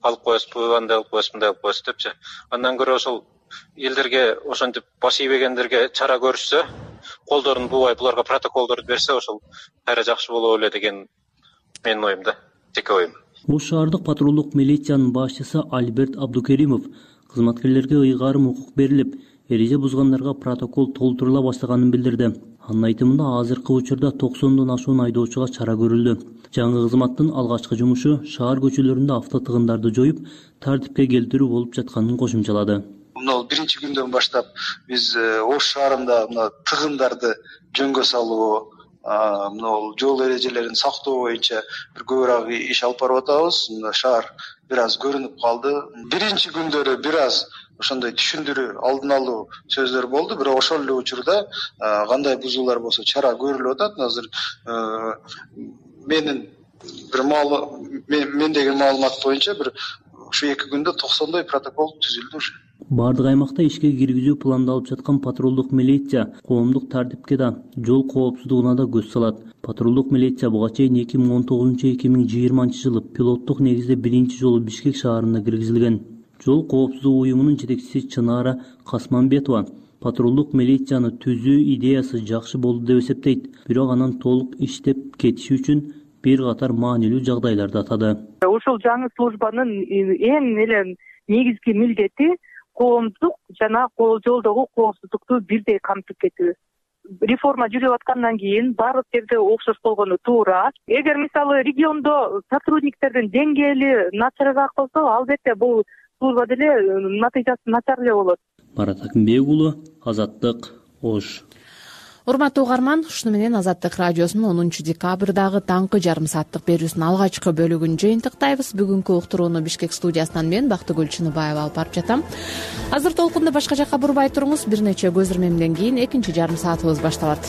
Speaker 19: Алып коесузбу, андай алып коесузбу, мындай алып коесуз депчи. Андан көрө ошол элдерге ошентип баш ийбегендерге чара көрүшсө, колдорун буубай буларга протоколдорду берсе, ошол кайра жакшы боло эле деген менин оюм да, жеке оюм.
Speaker 17: Ош шаардык патрулдук милициянын башчысы Альберт Абдукеримов кызматкерлерге ыйгарым укук берилип, эреже бузгандарга протокол толтурула баштаганын билдирди. Анын айтымында азыркы учурда токсондон ашуун айдоочуга чара көрүлдү. Жаңы кызматтын алгачкы жумушу шаар көчөлөрүндө автотыгындарды жоюп, тартипке келтирүү болуп жатканын кошумчалады.
Speaker 20: Мына биринчи күндөн баштап биз Ош шаарында мына тыгындарды жөнгө салуу, мына жол эрежелерин сактоо боюнча бир көбүрөөк иш алып барып атабыз. Мына шаар бир аз көрүнүп калды. Биринчи күндөрү бир аз ошондой түшүндүрүү, алдын алуу сөздөр болду, бирок ошол эле учурда кандай бузуулар болсо чара көрүлүп атат. Азыр менин бир маал мендеги маалымат боюнча бир ушу эки күндө токсондой протокол түзүлдү уже.
Speaker 17: Бардык аймакта ишке киргизүү пландалып жаткан патрулдук милиция коомдук тартипке да, жол коопсуздугуна да көз салат. Патрулдук милиция буга чейин эки миң он тогузунчу — эки миң жыйырманчы жылы пилоттук негизде биринчи жолу Бишкек шаарына киргизилген. Жол коопсуздугу уюмунун жетекчиси Чынара Касманбетова патрулдук милицияны түзүү идеясы жакшы болду деп эсептейт, бирок анан толук иштеп кетиши үчүн бир катар маанилүү жагдайларды атады.
Speaker 21: Ушул жаңы службанын эң эле негизги милдети коомдук жана жолдогу коопсуздукту бирдей камтып кетүү. Реформа жүрүп аткандан кийин баардык жерде окшош болгону туура. Эгер мисалы региондо сотрудниктердин деңгээли начарыраак болсо, албетте бул служба деле натыйжасы начар эле болот.
Speaker 17: Марат Акимбек уулу, Азаттык, Ош.
Speaker 1: урматтуу угарман, ушуну менен Азаттык радиосунун онунчу декабрдагы таңкы жарым сааттык берүүсүнүн алгачкы бөлүгүн жыйынтыктайбыз. Бүгүнкү уктурууну Бишкек студиясынан мен Бактыгүл Чыныбаева алып барып жатам. Азыр толкунду башка жакка бурбай туруңуз. Бир нече көз ирмемден кийин экинчи жарым саатыбыз башталат.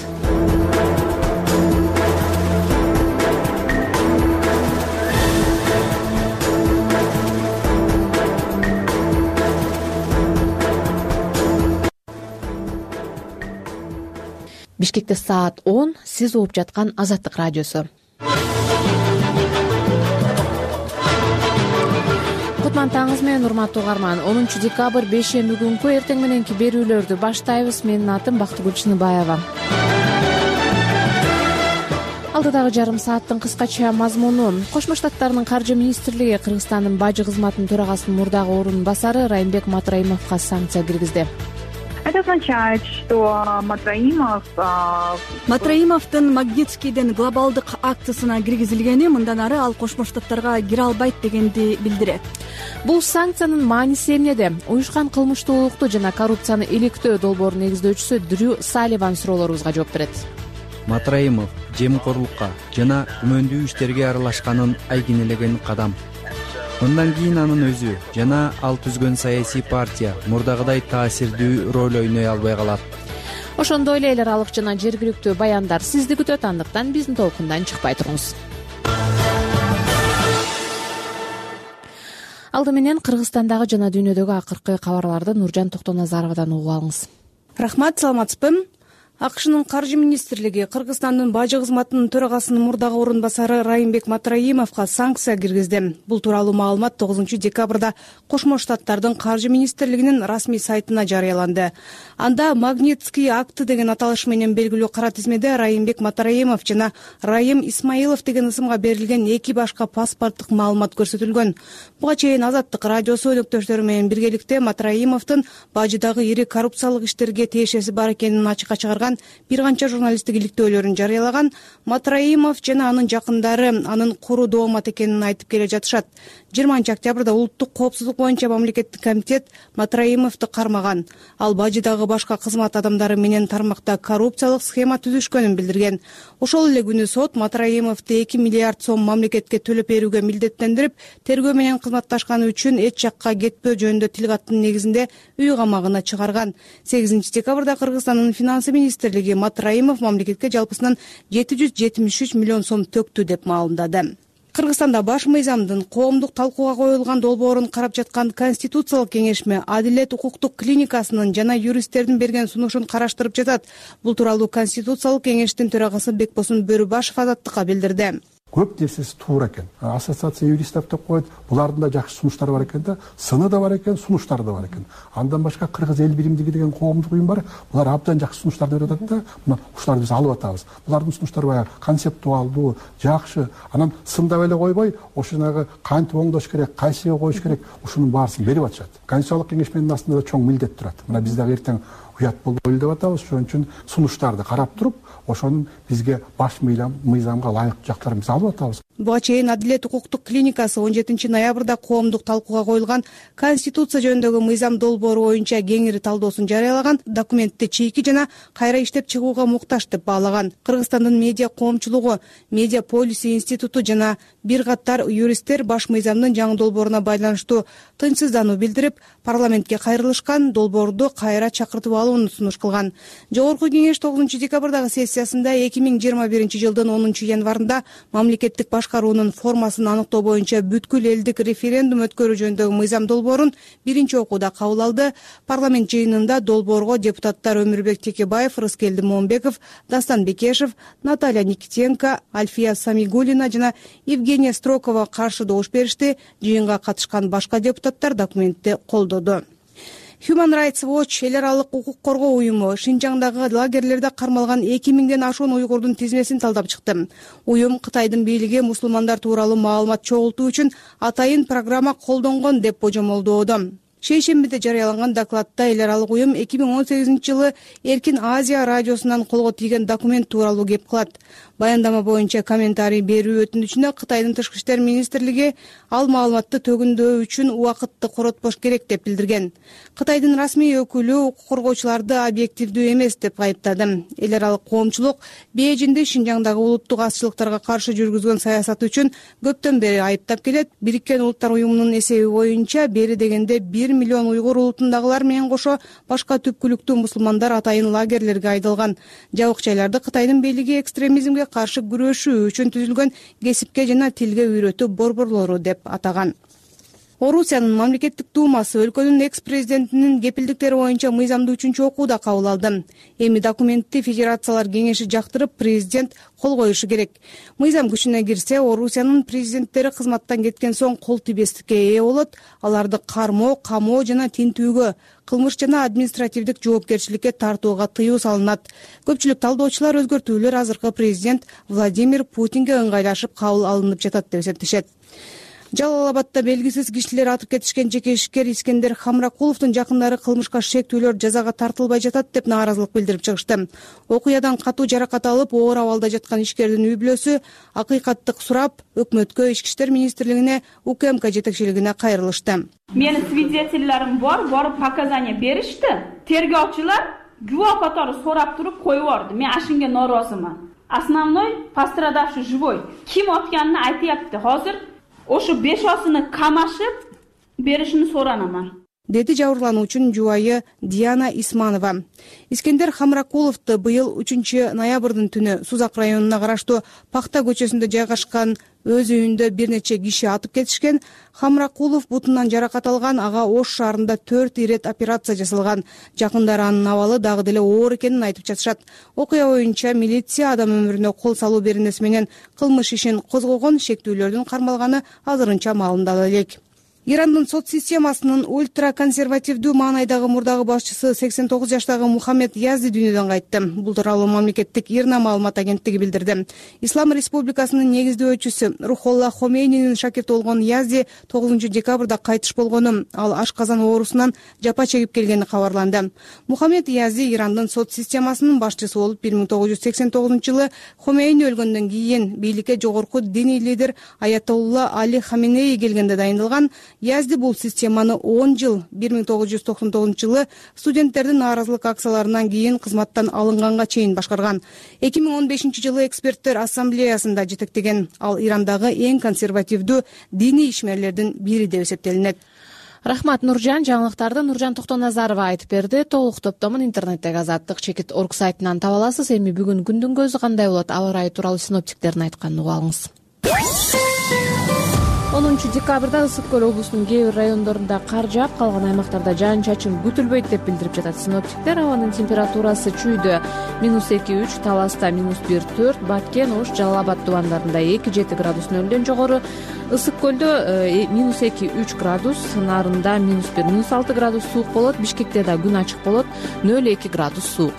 Speaker 1: Бишкекте саат он, сиз угуп жаткан Азаттык радиосу. Кутман таңыңыз менен, урматтуу угарман. онунчу декабрь бейшемби күнкү эртең мененки берүүлөрдү баштайбыз. Менин атым Бактыгүл Чыныбаева. Алдыдагы жарым сааттын кыскача мазмуну: Кошмо Штаттардын каржы министрлиги Кыргызстандын бажы кызматынын төрагасынын мурдагы орун басары Райымбек Матраимовго санкция киргизди.
Speaker 5: Это означает, что Матраимов...
Speaker 22: Матраимовдун Магнитскийден глобалдык акциясына киргизилгени, мындан ары ал Кошмо Штаттарга кире албайт дегенди билдирет.
Speaker 1: Бул санкциянын мааниси эмнеде? Уюшкан кылмыштуулукту жана коррупцияны иликтөө долбоорунун негиздөөчүсү Дрю Салливан суроолорубузга жооп берет.
Speaker 13: Матраимов жемкорлукка жана күмөндүү иштерге аралашканын айгинелеген кадам. Мындан кийин анын өзү жана ал түзгөн саясий партия мурдагыдай таасирдүү роль ойной албай калат.
Speaker 1: Ошондой эле эл аралык жана жергиликтүү баяндар сизди күтөт, андыктан биздин толкундан чыкпай туруңуз. Алды менен Кыргызстандагы жана дүйнөдөгү акыркы кабарларды Нуржан Токтоназаровадан угуп алыңыз.
Speaker 22: Рахмат, саламатсызбы? АКШнын каржы министрлиги Кыргызстандын бажы кызматынын төрагасынын мурдагы орун басары Райымбек Матраимовго санкция киргизди. Бул тууралуу маалымат тогузунчу декабрда Кошмо Штаттардын каржы министрлигинин расмий сайтына жарыяланды. Анда Магнитский акты деген аталыш менен белгилүү кара тизмеде Райымбек Матраимов жана Райым Исмаилов деген ысымга берилген эки башка паспорттук маалымат көрсөтүлгөн. Буга чейин Азаттык радиосу өнөктөштөрү менен биргеликте Матраимовдун бажыдагы ири коррупциялык иштерге тиешеси бар экенин ачыкка чыгарган бир канча журналисттик иликтөөлөрүн жарыялаган. Матраимов жана анын жакындары анын куру доомат экенин айтып келе жатышат. жыйырманчы октябрда улуттук коопсуздук боюнча мамлекеттик комитет Матраимовду кармаган. Ал бажыдагы башка кызмат адамдары менен тармакта коррупциялык схема түзүшкөнүн билдирген. Ошол эле күнү сот Матраимовду эки миллиард сом мамлекетке төлөп берүүгө милдеттендирип, тергөө менен кызматташканы үчүн эч жакка кетпөө жөнүндө тил каттын негизинде үй камагына чыгарган. сегизинчи декабрда Кыргызстандын финансы министрлиги Матраимов мамлекетке жалпысынан жети жүз жетимиш үч миллион сом төктү деп маалымдады. Кыргызстанда баш мыйзамдын коомдук талкууга коюлган долбоорун карап жаткан Конституциялык кеңешме Адилет укуктук клиникасынын жана юристтердин берген сунушун караштырып жатат. Бул тууралуу Конституциялык кеңештин төрагасы Бекбосун Бөрүбашев Азаттыкка билдирди.
Speaker 23: Көп нерсеси туура экен. Ассоциация юристов деп коет. Булардын да жакшы сунуштары бар экен да, сыны да бар экен, сунуштары да бар экен. Андан башка Кыргыз эл биримдиги деген коомдук уюм бар. Булар абдан жакшы сунуштарды берип атат да, мына ушуларды биз алып атабыз. Булардын сунуштары баягы концептуалдуу, жакшы. Анан сындап эле койбой, ошонагы кантип оңдош керек, кайсыга коюш керек, ушунун баарысын берип атышат. Конституциялык кеңешменин астында да чоң милдет турат. Мына биз дагы эртең уят болбойлу деп атабыз. Ошон үчүн сунуштарды карап туруп, ошонун бизге баш мыйзамга ылайыктуу жактарын биз алып атабыз.
Speaker 22: Буга чейин Адилет укуктук клиникасы он жетинчи ноябрда коомдук талкууга коюлган Конституция жөнүндөгү мыйзам долбоору боюнча кеңири талдоосун жарыялаган. Документти чийки жана кайра иштеп чыгууга муктаж деп баалаган. Кыргызстандын медиа коомчулугу, Медиа полиси институту жана бир катар юристтер баш мыйзамдын жаңы долбооруна байланыштуу тынчсыздануу билдирип, парламентке кайрылышкан, долбоорду кайра чакыртып алууну сунуш кылган. Жогорку кеңеш тогузунчу декабрдагы сессиясында эки миң жыйырма биринчи жылдын онунчу январында мамлекеттик башкаруунун формасын аныктоо боюнча бүткүл элдик референдум өткөрүү жөнүндөгү мыйзам долбоорун биринчи окууда кабыл алды. Парламент жыйынында долбоорго депутаттар Өмүрбек Текебаев, Рыскелди Момбеков, Дастан Бекешев, Наталья Никитенко, Альфия Самигуллина жана Евгения Строкова каршы добуш беришти. Жыйынга катышкан башка депутаттар документти колдоду. Human Rights Watch эл аралык укук коргоо уюму Шинжаңдагы лагерлерде кармалган эки миңден ашуун уйгурдун тизмесин талдап чыкты. Уюм Кытайдын бийлиги мусулмандар тууралуу маалымат чогултуу үчүн атайын программа колдонгон деп божомолдоодо. шейшембиде жарыяланган докладда эл аралык уюм эки миң он сегизинчи жылы Эркин Азия радиосунан колго тийген документ тууралуу кеп кылат. Баяндама боюнча комментарий берүү өтүнүчүнө Кытайдын тышкы иштер министрлиги ал маалыматты төгүндөө үчүн убакытты коротпош керек деп билдирген. Кытайдын расмий өкүлү укук коргоочуларды объективдүү эмес деп айыптады. Эл аралык коомчулук Бейжиңде Шинжаңдагы улуттук азчылыктарга каршы жүргүзгөн саясаты үчүн көптөн бери айыптап келет. Бириккен Улуттар уюмунун эсеби боюнча бери дегенде бир миллион уйгур улутундагылар менен кошо башка түпкүлүктүү мусулмандар атайын лагерлерге айдалган. Жабык жайларды Кытайдын бийлиги экстремизмге каршы күрөшүү үчүн түзүлгөн кесипке жана тилге үйрөтүү борборлору деп атаган. Орусиянын мамлекеттик думасы өлкөнүн экс-президентинин кепилдиктери боюнча мыйзамды үчүнчү окууда кабыл алды. Эми документти Федерациялар кеңеши жактырып, президент кол коюшу керек. Мыйзам күчүнө кирсе, Орусиянын президенттери кызматтан кеткен соң кол тийбестикке ээ болот. Аларды кармоо, камоо жана тинтүүгө, кылмыш жана административдик жоопкерчиликке тартууга тыюу салынат. Көпчүлүк талдоочулар өзгөртүүлөр азыркы президент Владимир Путинге ыңгайлашып кабыл алынып жатат деп эсептешет. Жалал Абадда белгисиз кишилер атып кетишкен жеке ишкер Искендер Хамракуловдун жакындары кылмышка шектүүлөр жазага тартылбай жатат деп нааразылык билдирип чыгышты. Окуядан катуу жаракат алып, оор абалда жаткан ишкердин үй бүлөсү акыйкаттык сурап, өкмөткө, Ички иштер министрлигине, УКМК жетекчилигине кайрылышты.
Speaker 2: Менин свидетельлерим бар, барып показания беришти. Тергөөчүлөр гүвөө катары сурап туруп коюп берди. Мен ашынга нооразымын. Основной пострадавший живой. Ким атканын айтыпты. Азыр ошо бешосуну камашып беришини соранаман, деди
Speaker 22: жабырлануучунун жубайы Диана Исманова. Искендер Хамракуловду быйыл үчүнчү ноябрдын түнү Сузак районуна караштуу Пакта көчөсүндө жайгашкан өз үйүндө бир нече киши атып кетишкен. Хамракулов бутунан жаракат алган, ага Ош шаарында төрт ирет операция жасалган. Жакындары анын абалы дагы деле оор экенин айтып жатышат. Окуя боюнча милиция адам өмүрүнө кол салуу беренеси менен кылмыш ишин козгогон, шектүүлөрдүн кармалганы азырынча маалымдала элек. Ирандын сот системасынын ультраконсервативдүү маанайдагы мурдагы башчысы сексен тогуз жаштагы Мухаммед Язди дүйнөдөн кайтты. Бул тууралуу мамлекеттик ИРНА маалымат агенттиги билдирди. Ислам Республикасынын негиздөөчүсү Рухолла Хомейнинин шакирти болгон Язди тогузунчу декабрда кайтыш болгону, ал ашказан оорусунан жапа чегип келгени кабарланды. Мухаммед Язди Ирандын сот системасынын башчысы болуп бир миң тогуз жүз сексен тогузунчу жылы Хомейни өлгөндөн кийин бийликке жогорку диний лидер Аятолла Али Хаменеи келгенде дайындалган. Язди бул системаны он жыл бир миң тогуз жүз токсон тогузунчу жылы студенттердин нааразылык акцияларынан кийин кызматтан алынганга чейин башкарган. эки миң он бешинчи жылы эксперттер ассамблеясында жетектеген. Ал Ирандагы эң консервативдүү диний ишмерлердин бири деп эсептелинет.
Speaker 1: Рахмат, Нуржан. Жаңылыктарды Нуржан Токтоназарова айтып берди. Толук топтомун интернеттеги азаттык чекит точка орг сайтынан таба аласыз. Эми бүгүн күндүн көзү кандай болот? Аба ырайы тууралуу синоптиктердин айтканын угуп алыңыз. онунчу декабрда Ысык көл облусунун кээ бир райондорунда кар жаап, калган аймактарда жаан-чачын күтүлбөйт деп билдирип жатат синоптиктер. Абанын температурасы чүйдө минус эки үч, Таласта минус бир төрт, Баткен, Ош, Жалал Абад тубандарында эки жети градус нөлдөн жогору, Ысык көлдө минус эки үч градус, Нарында минус бир, минус алты градус суук болот, Бишкекте да күн ачык болот, нөл эки градус суук.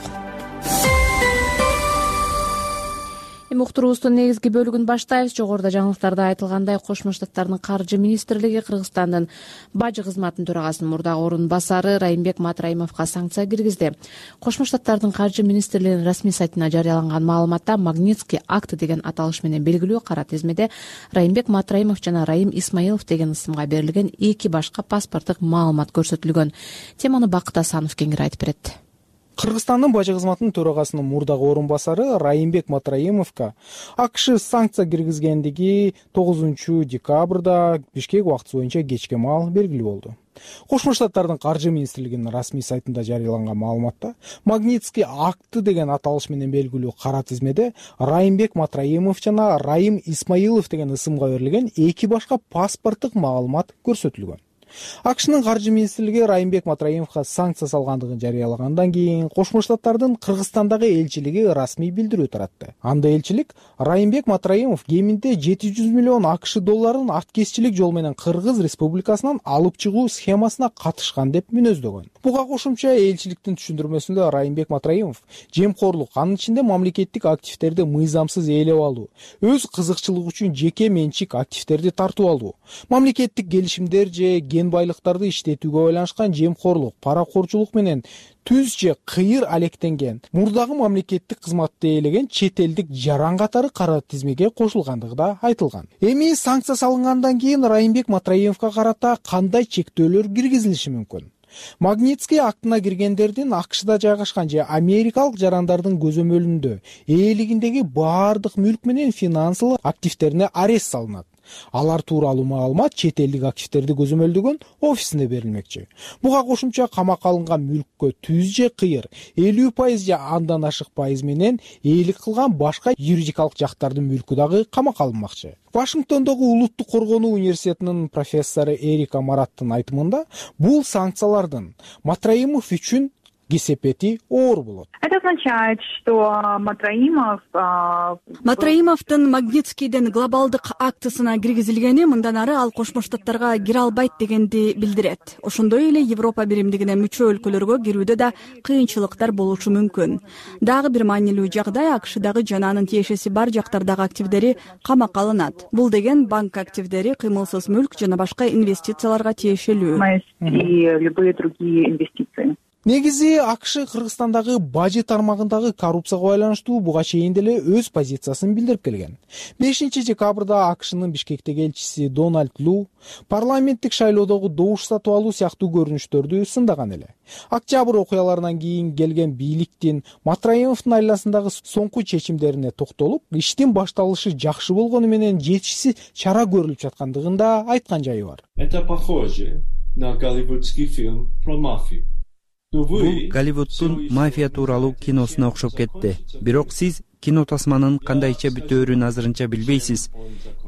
Speaker 1: Эми уктуруубуздун негизги бөлүгүн баштайбыз. Жогоруда жаңылыктарда айтылгандай, Кошмо Штаттардын каржы министрлиги Кыргызстандын бажы кызматынын төрагасынын мурдагы орун басары Райымбек Матраимовго санкция киргизди. Кошмо Штаттардын каржы министрлигинин расмий сайтына жарыяланган маалыматта Магнитский акт деген аталыш менен белгилүү кара тизмеде Райымбек Матраимов жана Райым Исмаилов деген ысымга берилген эки башка паспорттук маалымат көрсөтүлгөн. Теманы Бакыт Асанов кеңири айтып берет.
Speaker 4: Кыргызстандын бажы кызматынын төрагасынын мурдагы орун басары Райымбек Матраимовго АКШ санкция киргизгендиги тогузунчу декабрда Бишкек убактысы боюнча кечке маал белгилүү болду. Кошмо Штаттардын каржы министрлигинин расмий сайтында жарыяланган маалыматта Магнитский акты деген аталыш менен белгилүү кара тизмеде Райымбек Матраимов жана Райым Исмаилов деген ысымга берилген эки башка паспорттук маалымат көрсөтүлгөн. АКШнын каржы министрлиги Райымбек Матраимовго санкция салгандыгын жарыялагандан кийин Кошмо Штаттардын Кыргызстандагы элчилиги расмий билдирүү таратты. Анда элчилик Райымбек Матраимов кеминде жети жүз миллион АКШ долларын аткезчилик жол менен Кыргыз Республикасынан алып чыгуу схемасына катышкан деп мүнөздөгөн. Буга кошумча элчиликтин түшүндүрмөсүндө Райымбек Матраимов жемкорлук, анын ичинде мамлекеттик активдерди мыйзамсыз ээлеп алуу, өз кызыкчылыгы үчүн жеке менчик активдерди тартып алуу, мамлекеттик келишимдер же кен байлыктарды иштетүүгө байланышкан жемкорлук, паракорчулук менен түз же кыйыр алектенген мурдагы мамлекеттик кызматты ээлеген чет элдик жаран катары кара тизмеге кошулгандыгы да айтылган. Эми санкция салынгандан кийин Райымбек Матраимовго карата кандай чектөөлөр киргизилиши мүмкүн? Магнитский актына киргендердин АКШда жайгашкан же америкалык жарандардын көзөмөлүндө ээлигиндеги баардык мүлк менен финансылык активтерине арест салынат. Алар тууралуу маалымат чет элдик активтерди көзөмөлдөгөн офисине берилмекчи. Буга кошумча камакка алынган мүлккө түз же кыйыр элүү пайыз же андан ашык пайыз менен ээлик кылган башка юридикалык жактардын мүлкү дагы камакка алынмакчы. Вашингтондогу Улуттук коргонуу университетинин профессору Эрика Мараттын айтымында, бул санкциялардын Матраимов үчүн кесепети оор болот.
Speaker 5: Это означает, что Матраимов
Speaker 6: Матраимовдун Магнитскийдин глобалдык актысына киргизилгени мындан ары ал Кошмо Штаттарга кире албайт дегенди билдирет. Ошондой эле Европа биримдигине мүчө өлкөлөргө кирүүдө да кыйынчылыктар болушу мүмкүн. Дагы бир маанилүү жагдай АКШдагы жана анын тиешеси бар жактардагы активдери камакка алынат. Бул деген банк активдери, кыймылсыз мүлк жана башка инвестицияларга тиешелүү.
Speaker 5: И любые другие инвестиции.
Speaker 4: Негизи АКШ Кыргызстандагы бажы тармагындагы коррупцияга байланыштуу буга чейин деле өз позициясын билдирип келген. бешинчи декабрда АКШнын Бишкектеги элчиси Дональд Лу парламенттик шайлоодогу добуш сатып алуу сыяктуу көрүнүштөрдү сындаган эле. Октябрь окуяларынан кийин келген бийликтин Матраимовдун айласындагы соңку чечимдерине токтолуп, иштин башталышы жакшы болгону менен жетишсиз чара көрүлүп жаткандыгын да айткан жайы бар.
Speaker 8: Это похоже на голливудский фильм про мафию.
Speaker 13: Бул Голливуддун мафия тууралуу киносуна окшоп кетти. Бирок сиз кино тасманын кандайча бүтөөрүн азырынча билбейсиз.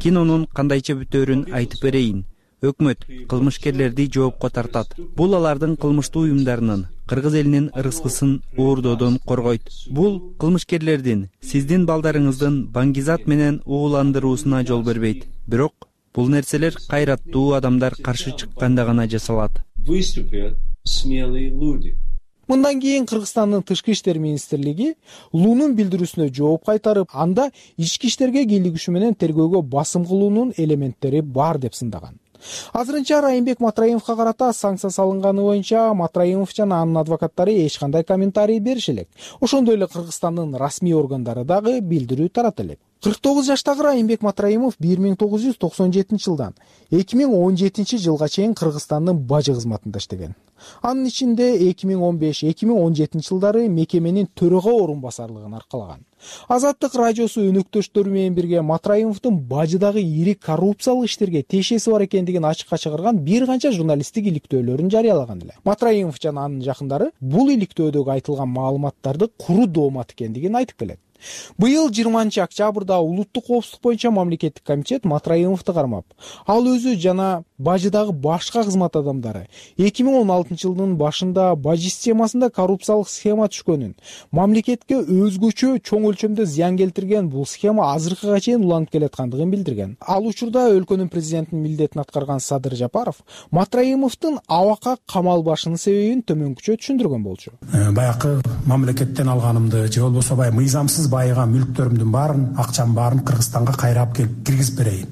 Speaker 13: Кинонун кандайча бүтөөрүн айтып берейин. Өкмөт кылмышкерлерди жоопко тартат. Бул алардын кылмыштуу уюмдарынын, кыргыз элинин ырыскысын уурдоодон коргойт. Бул кылмышкерлердин сиздин балдарыңыздын баңгизат менен ууландыруусуна жол бербейт. Бирок бул нерселер кайраттуу адамдар каршы чыкканда гана жасалат.
Speaker 8: Смелые люди.
Speaker 4: Мындан кийин Кыргызстандын Тышкы иштер министрлиги Лунун билдирүүсүнө жооп кайтарып, анда ички иштерге кийлигишүү менен тергөөгө басым кылуунун элементтери бар деп сындаган. Азырынча Райымбек Матраимовго карата санкция салынганы боюнча Матраимов жана анын адвокаттары эч кандай комментарий бериши элек. Ошондой эле Кыргызстандын расмий органдары дагы билдирүү тарата элек. кырк тогуз жаштагы Райымбек Матраимов бир миң тогуз жүз токсон жетинчи жылдан эки миң он жетинчи жылга чейин Кыргызстандын бажы кызматында иштеген. Анын ичинде эки миң он беш эки миң он жетинчи жылдары мекеменин төрага орун басарлыгын аркалаган. Азаттык радиосу өнөктөштөрү менен бирге Матраимовдун бажыдагы ири коррупциялык иштерге тиешеси бар экендигин ачыкка чыгарган бир канча журналисттик иликтөөлөрүн жарыялаган эле. Матраимов жана анын жакындары бул иликтөөдөгү айтылган маалыматтарды куру доомат экендигин айтып келет. Быйыл жыйырманчы октябрда Улуттук коопсуздук боюнча мамлекеттик комитет Матраимовду кармап, ал өзү жана бажыдагы башка кызмат адамдары эки миң он алтынчы жылдын башында бажы системасында коррупциялык схема түшкөнүн, мамлекетке өзгөчө чоң өлчөмдө зыян келтирген бул схема азыркыга чейин уланып келаткандыгын билдирген. Ал учурда өлкөнүн президентинин милдетин аткарган Садыр Жапаров Матраимовдун абакка камалбашынын себебин төмөнкүчө түшүндүргөн болчу.
Speaker 9: Баякы мамлекеттен алганымды же болбосо баягы мыйзамсыз байыган мүлктөрүмдүн баарын, акчамдын баарын Кыргызстанга кайрап келип киргизип берейин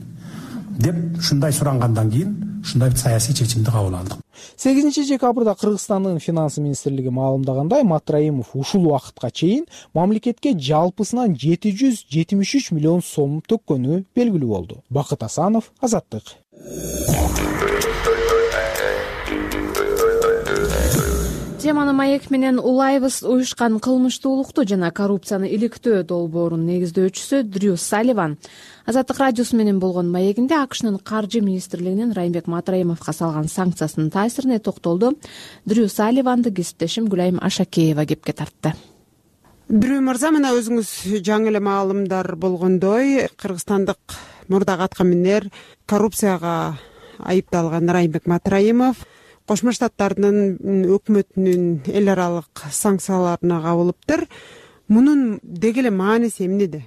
Speaker 9: деп ушундай сурангандан кийин ушундай бир саясий чечимди кабыл алдык.
Speaker 4: сегизинчи декабрда Кыргызстандын финанс министрлиги маалымдагандай, Матраимов ушул убакытка чейин мамлекетке жалпысынан жети жүз жетимиш үч миллион сом төккөнү белгилүү болду. Бакыт Асанов, Азаттык.
Speaker 1: Теманы маек менен улайбыз. Уюшкан кылмыштуулукту жана коррупцияны иликтөө долбоорунун негиздөөчүсү Дрю Салливан Азаттык радиосу менен болгон маегинде АКШнын каржы министрлигинин Райымбек Матраимовго салган санкциясынын таасирине токтолду. Дрю Салливанды кесиптешим Гүлайым Ашакеева кепке тартты.
Speaker 24: Дрю мырза, мына өзүңүз жаңы эле маалымдар болгондой, кыргызстандык мурдагы аткаминер коррупцияга айыпталган Райымбек Матраимов Кошмо Штаттардын өкмөтүнүн эл аралык санкцияларына кабылыптыр. Мунун деги эле мааниси эмнеде?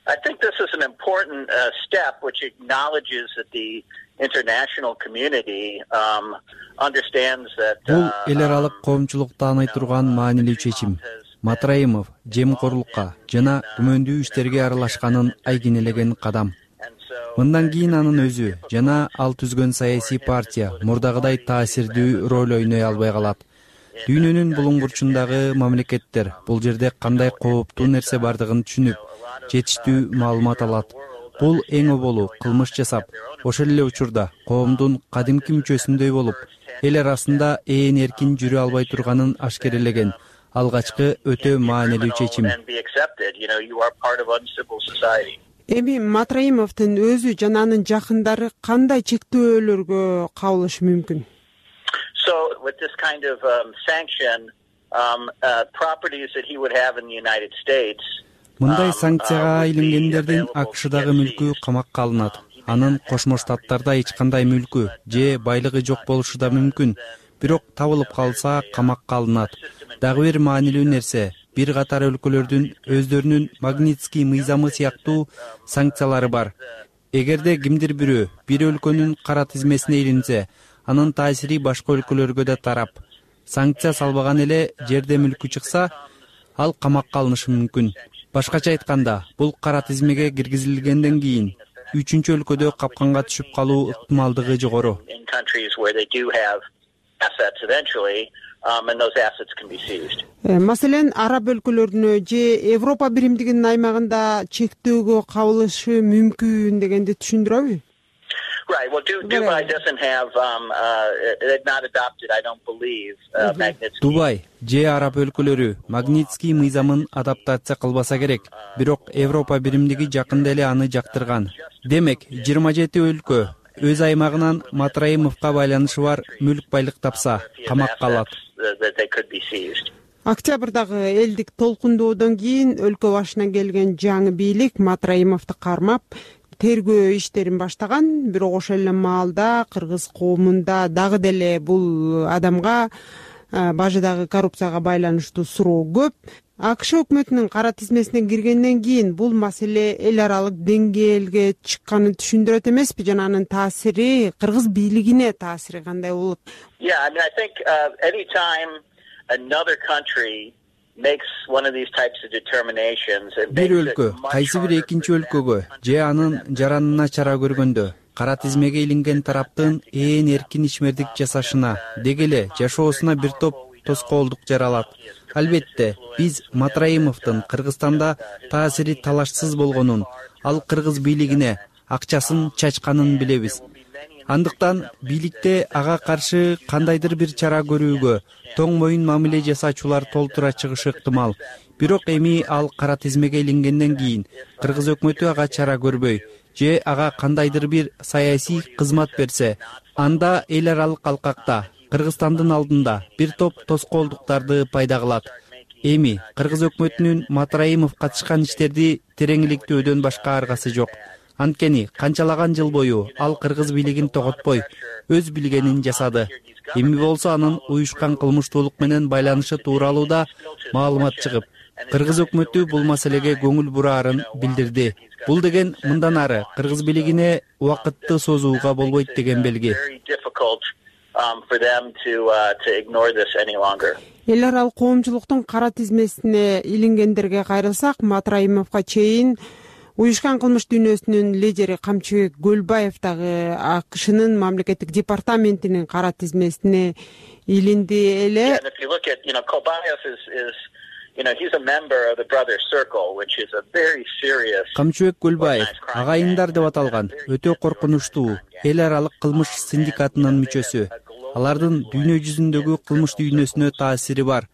Speaker 25: I think this is an important uh, step which acknowledges that the international community um, understands that
Speaker 13: бул эл аралык коомчулук тааный турган маанилүү чечим. Матраимов жемкорлукка жана күмөндүү иштерге аралашканын айгинелеген кадам. мындан кийин анын өзү жана ал түзгөн саясий партия мурдагыдай таасирдүү роль ойной албай калат. Дүйнөнүн булуң бурчундагы мамлекеттер бул жерде кандай кооптуу нерсе бардыгын түшүнүп, жетиштүү маалымат алат. Бул эң оболу кылмыш жасап, ошол эле учурда коомдун кадимки мүчөсүндөй болуп, эл арасында ээн эркин жүрө албай турганын ашкерелеген алгачкы өтө маанилүү чечим.
Speaker 24: Эми Матраимовдун өзү жана анын жакындары кандай чектөөлөргө кабылышы мүмкүн?
Speaker 25: So with this kind of um, sanction, um, uh, properties that he would have in the United States.
Speaker 13: Мындай санкцияга илингендердин АКШдагы мүлкү камакка алынат. Анын Кошмо Штаттарда эч кандай мүлкү же байлыгы жок болушу да мүмкүн. Бирок табылып калса камакка алынат. Дагы бир маанилүү нерсе, бир катар өлкөлөрдүн өздөрүнүн Магнитский мыйзамы сыяктуу санкциялары бар. Эгерде кимдир бирөө бир өлкөнүн кара тизмесине илинсе, анын таасири башка өлкөлөргө да тарап. Санкция салбаган эле жерде мүлкү чыкса, ал камакка алынышы мүмкүн. Башкача айтканда, бул кара тизмеге киргизилгенден кийин үчүнчү өлкөдө капканга түшүп калуу ыктымалдыгы жогору.
Speaker 24: Маселен, араб өлкөлөрүнө же Европа биримдигинин аймагында чектөөгө кабылышы мүмкүн дегенди түшүндүрөбү?
Speaker 25: Right. Well, Dubai doesn't have, um, uh, they've not adopted, I don't believe, uh, Magnitsky.
Speaker 13: Дубай же араб өлкөлөрү Магнитский мыйзамын адаптация кылбаса керек. Бирок Европа биримдиги жакында эле аны жактырган. Демек, жыйырма жети өлкө өз аймагынан Матраимовго байланышы бар мүлк байлык тапса, камакка алат.
Speaker 24: Октябрдагы элдик толкундоодон кийин өлкө башына келген жаңы бийлик Матраимовду кармап, тергөө иштерин баштаган. Бирок ошол эле маалда кыргыз коомунда дагы деле бул адамга бажыдагы коррупцияга байланыштуу суроо көп. АКШ өкмөтүнүн кара тизмесине киргенден кийин бул маселе эл аралык деңгээлге чыкканын түшүндүрөт эмеспи? Жана анын таасири, кыргыз бийлигине таасири кандай болот?
Speaker 25: Yeah, I mean, I think uh, any time another country makes one of these types of determinations and
Speaker 13: бир өлкө кайсы бир экинчи өлкөгө же анын жаранына чара көргөндө кара тизмеге илинген тараптын ээн эркин ишмердик жасашына, деги эле жашоосуна бир топ тоскоолдук жаралат. Албетте, биз Матраимовдун Кыргызстанда таасири талашсыз болгонун, ал кыргыз бийлигине акчасын чачканын билебиз. Андыктан бийликте ага каршы кандайдыр бир чара көрүүгө, тоң моюн мамиле жасаачулар толтура чыгышы ыктымал. Бирок эми ал кара тизмеге илингенден кийин кыргыз өкмөтү ага чара көрбөй же ага кандайдыр бир саясий кызмат берсе, анда эл аралык алкакта Кыргызстандын алдында бир топ тоскоолдуктарды пайда кылат. Эми кыргыз өкмөтүнүн Матраимов катышкан иштерди тереңиликтөөдөн башка аргасы жок. Анткени канчалаган жыл бою ал кыргыз бийлигин тоготпой, өз билгенин жасады. Эми болсо анын уюшкан кылмыштуулук менен байланышы тууралуу да маалымат чыгып, кыргыз өкмөтү бул маселеге көңүл бураарын билдирди. Бул деген мындан ары кыргыз бийлигине убакытты созууга болбойт деген белги.
Speaker 24: Эл аралык коомчулуктун кара тизмесине илингендерге кайрылсак, Матраимовго чейин уюшкан кылмыш дүйнөсүнүн лидери Камчыбек Көлбаев дагы АКШнын мамлекеттик департаментинин кара тизмесине илинди эле.
Speaker 13: Камчыбек Көлбаев агайындар деп аталган өтө коркунучтуу эл аралык кылмыш синдикатынын мүчөсү. Алардын дүйнө жүзүндөгү кылмыш дүйнөсүнө таасири бар.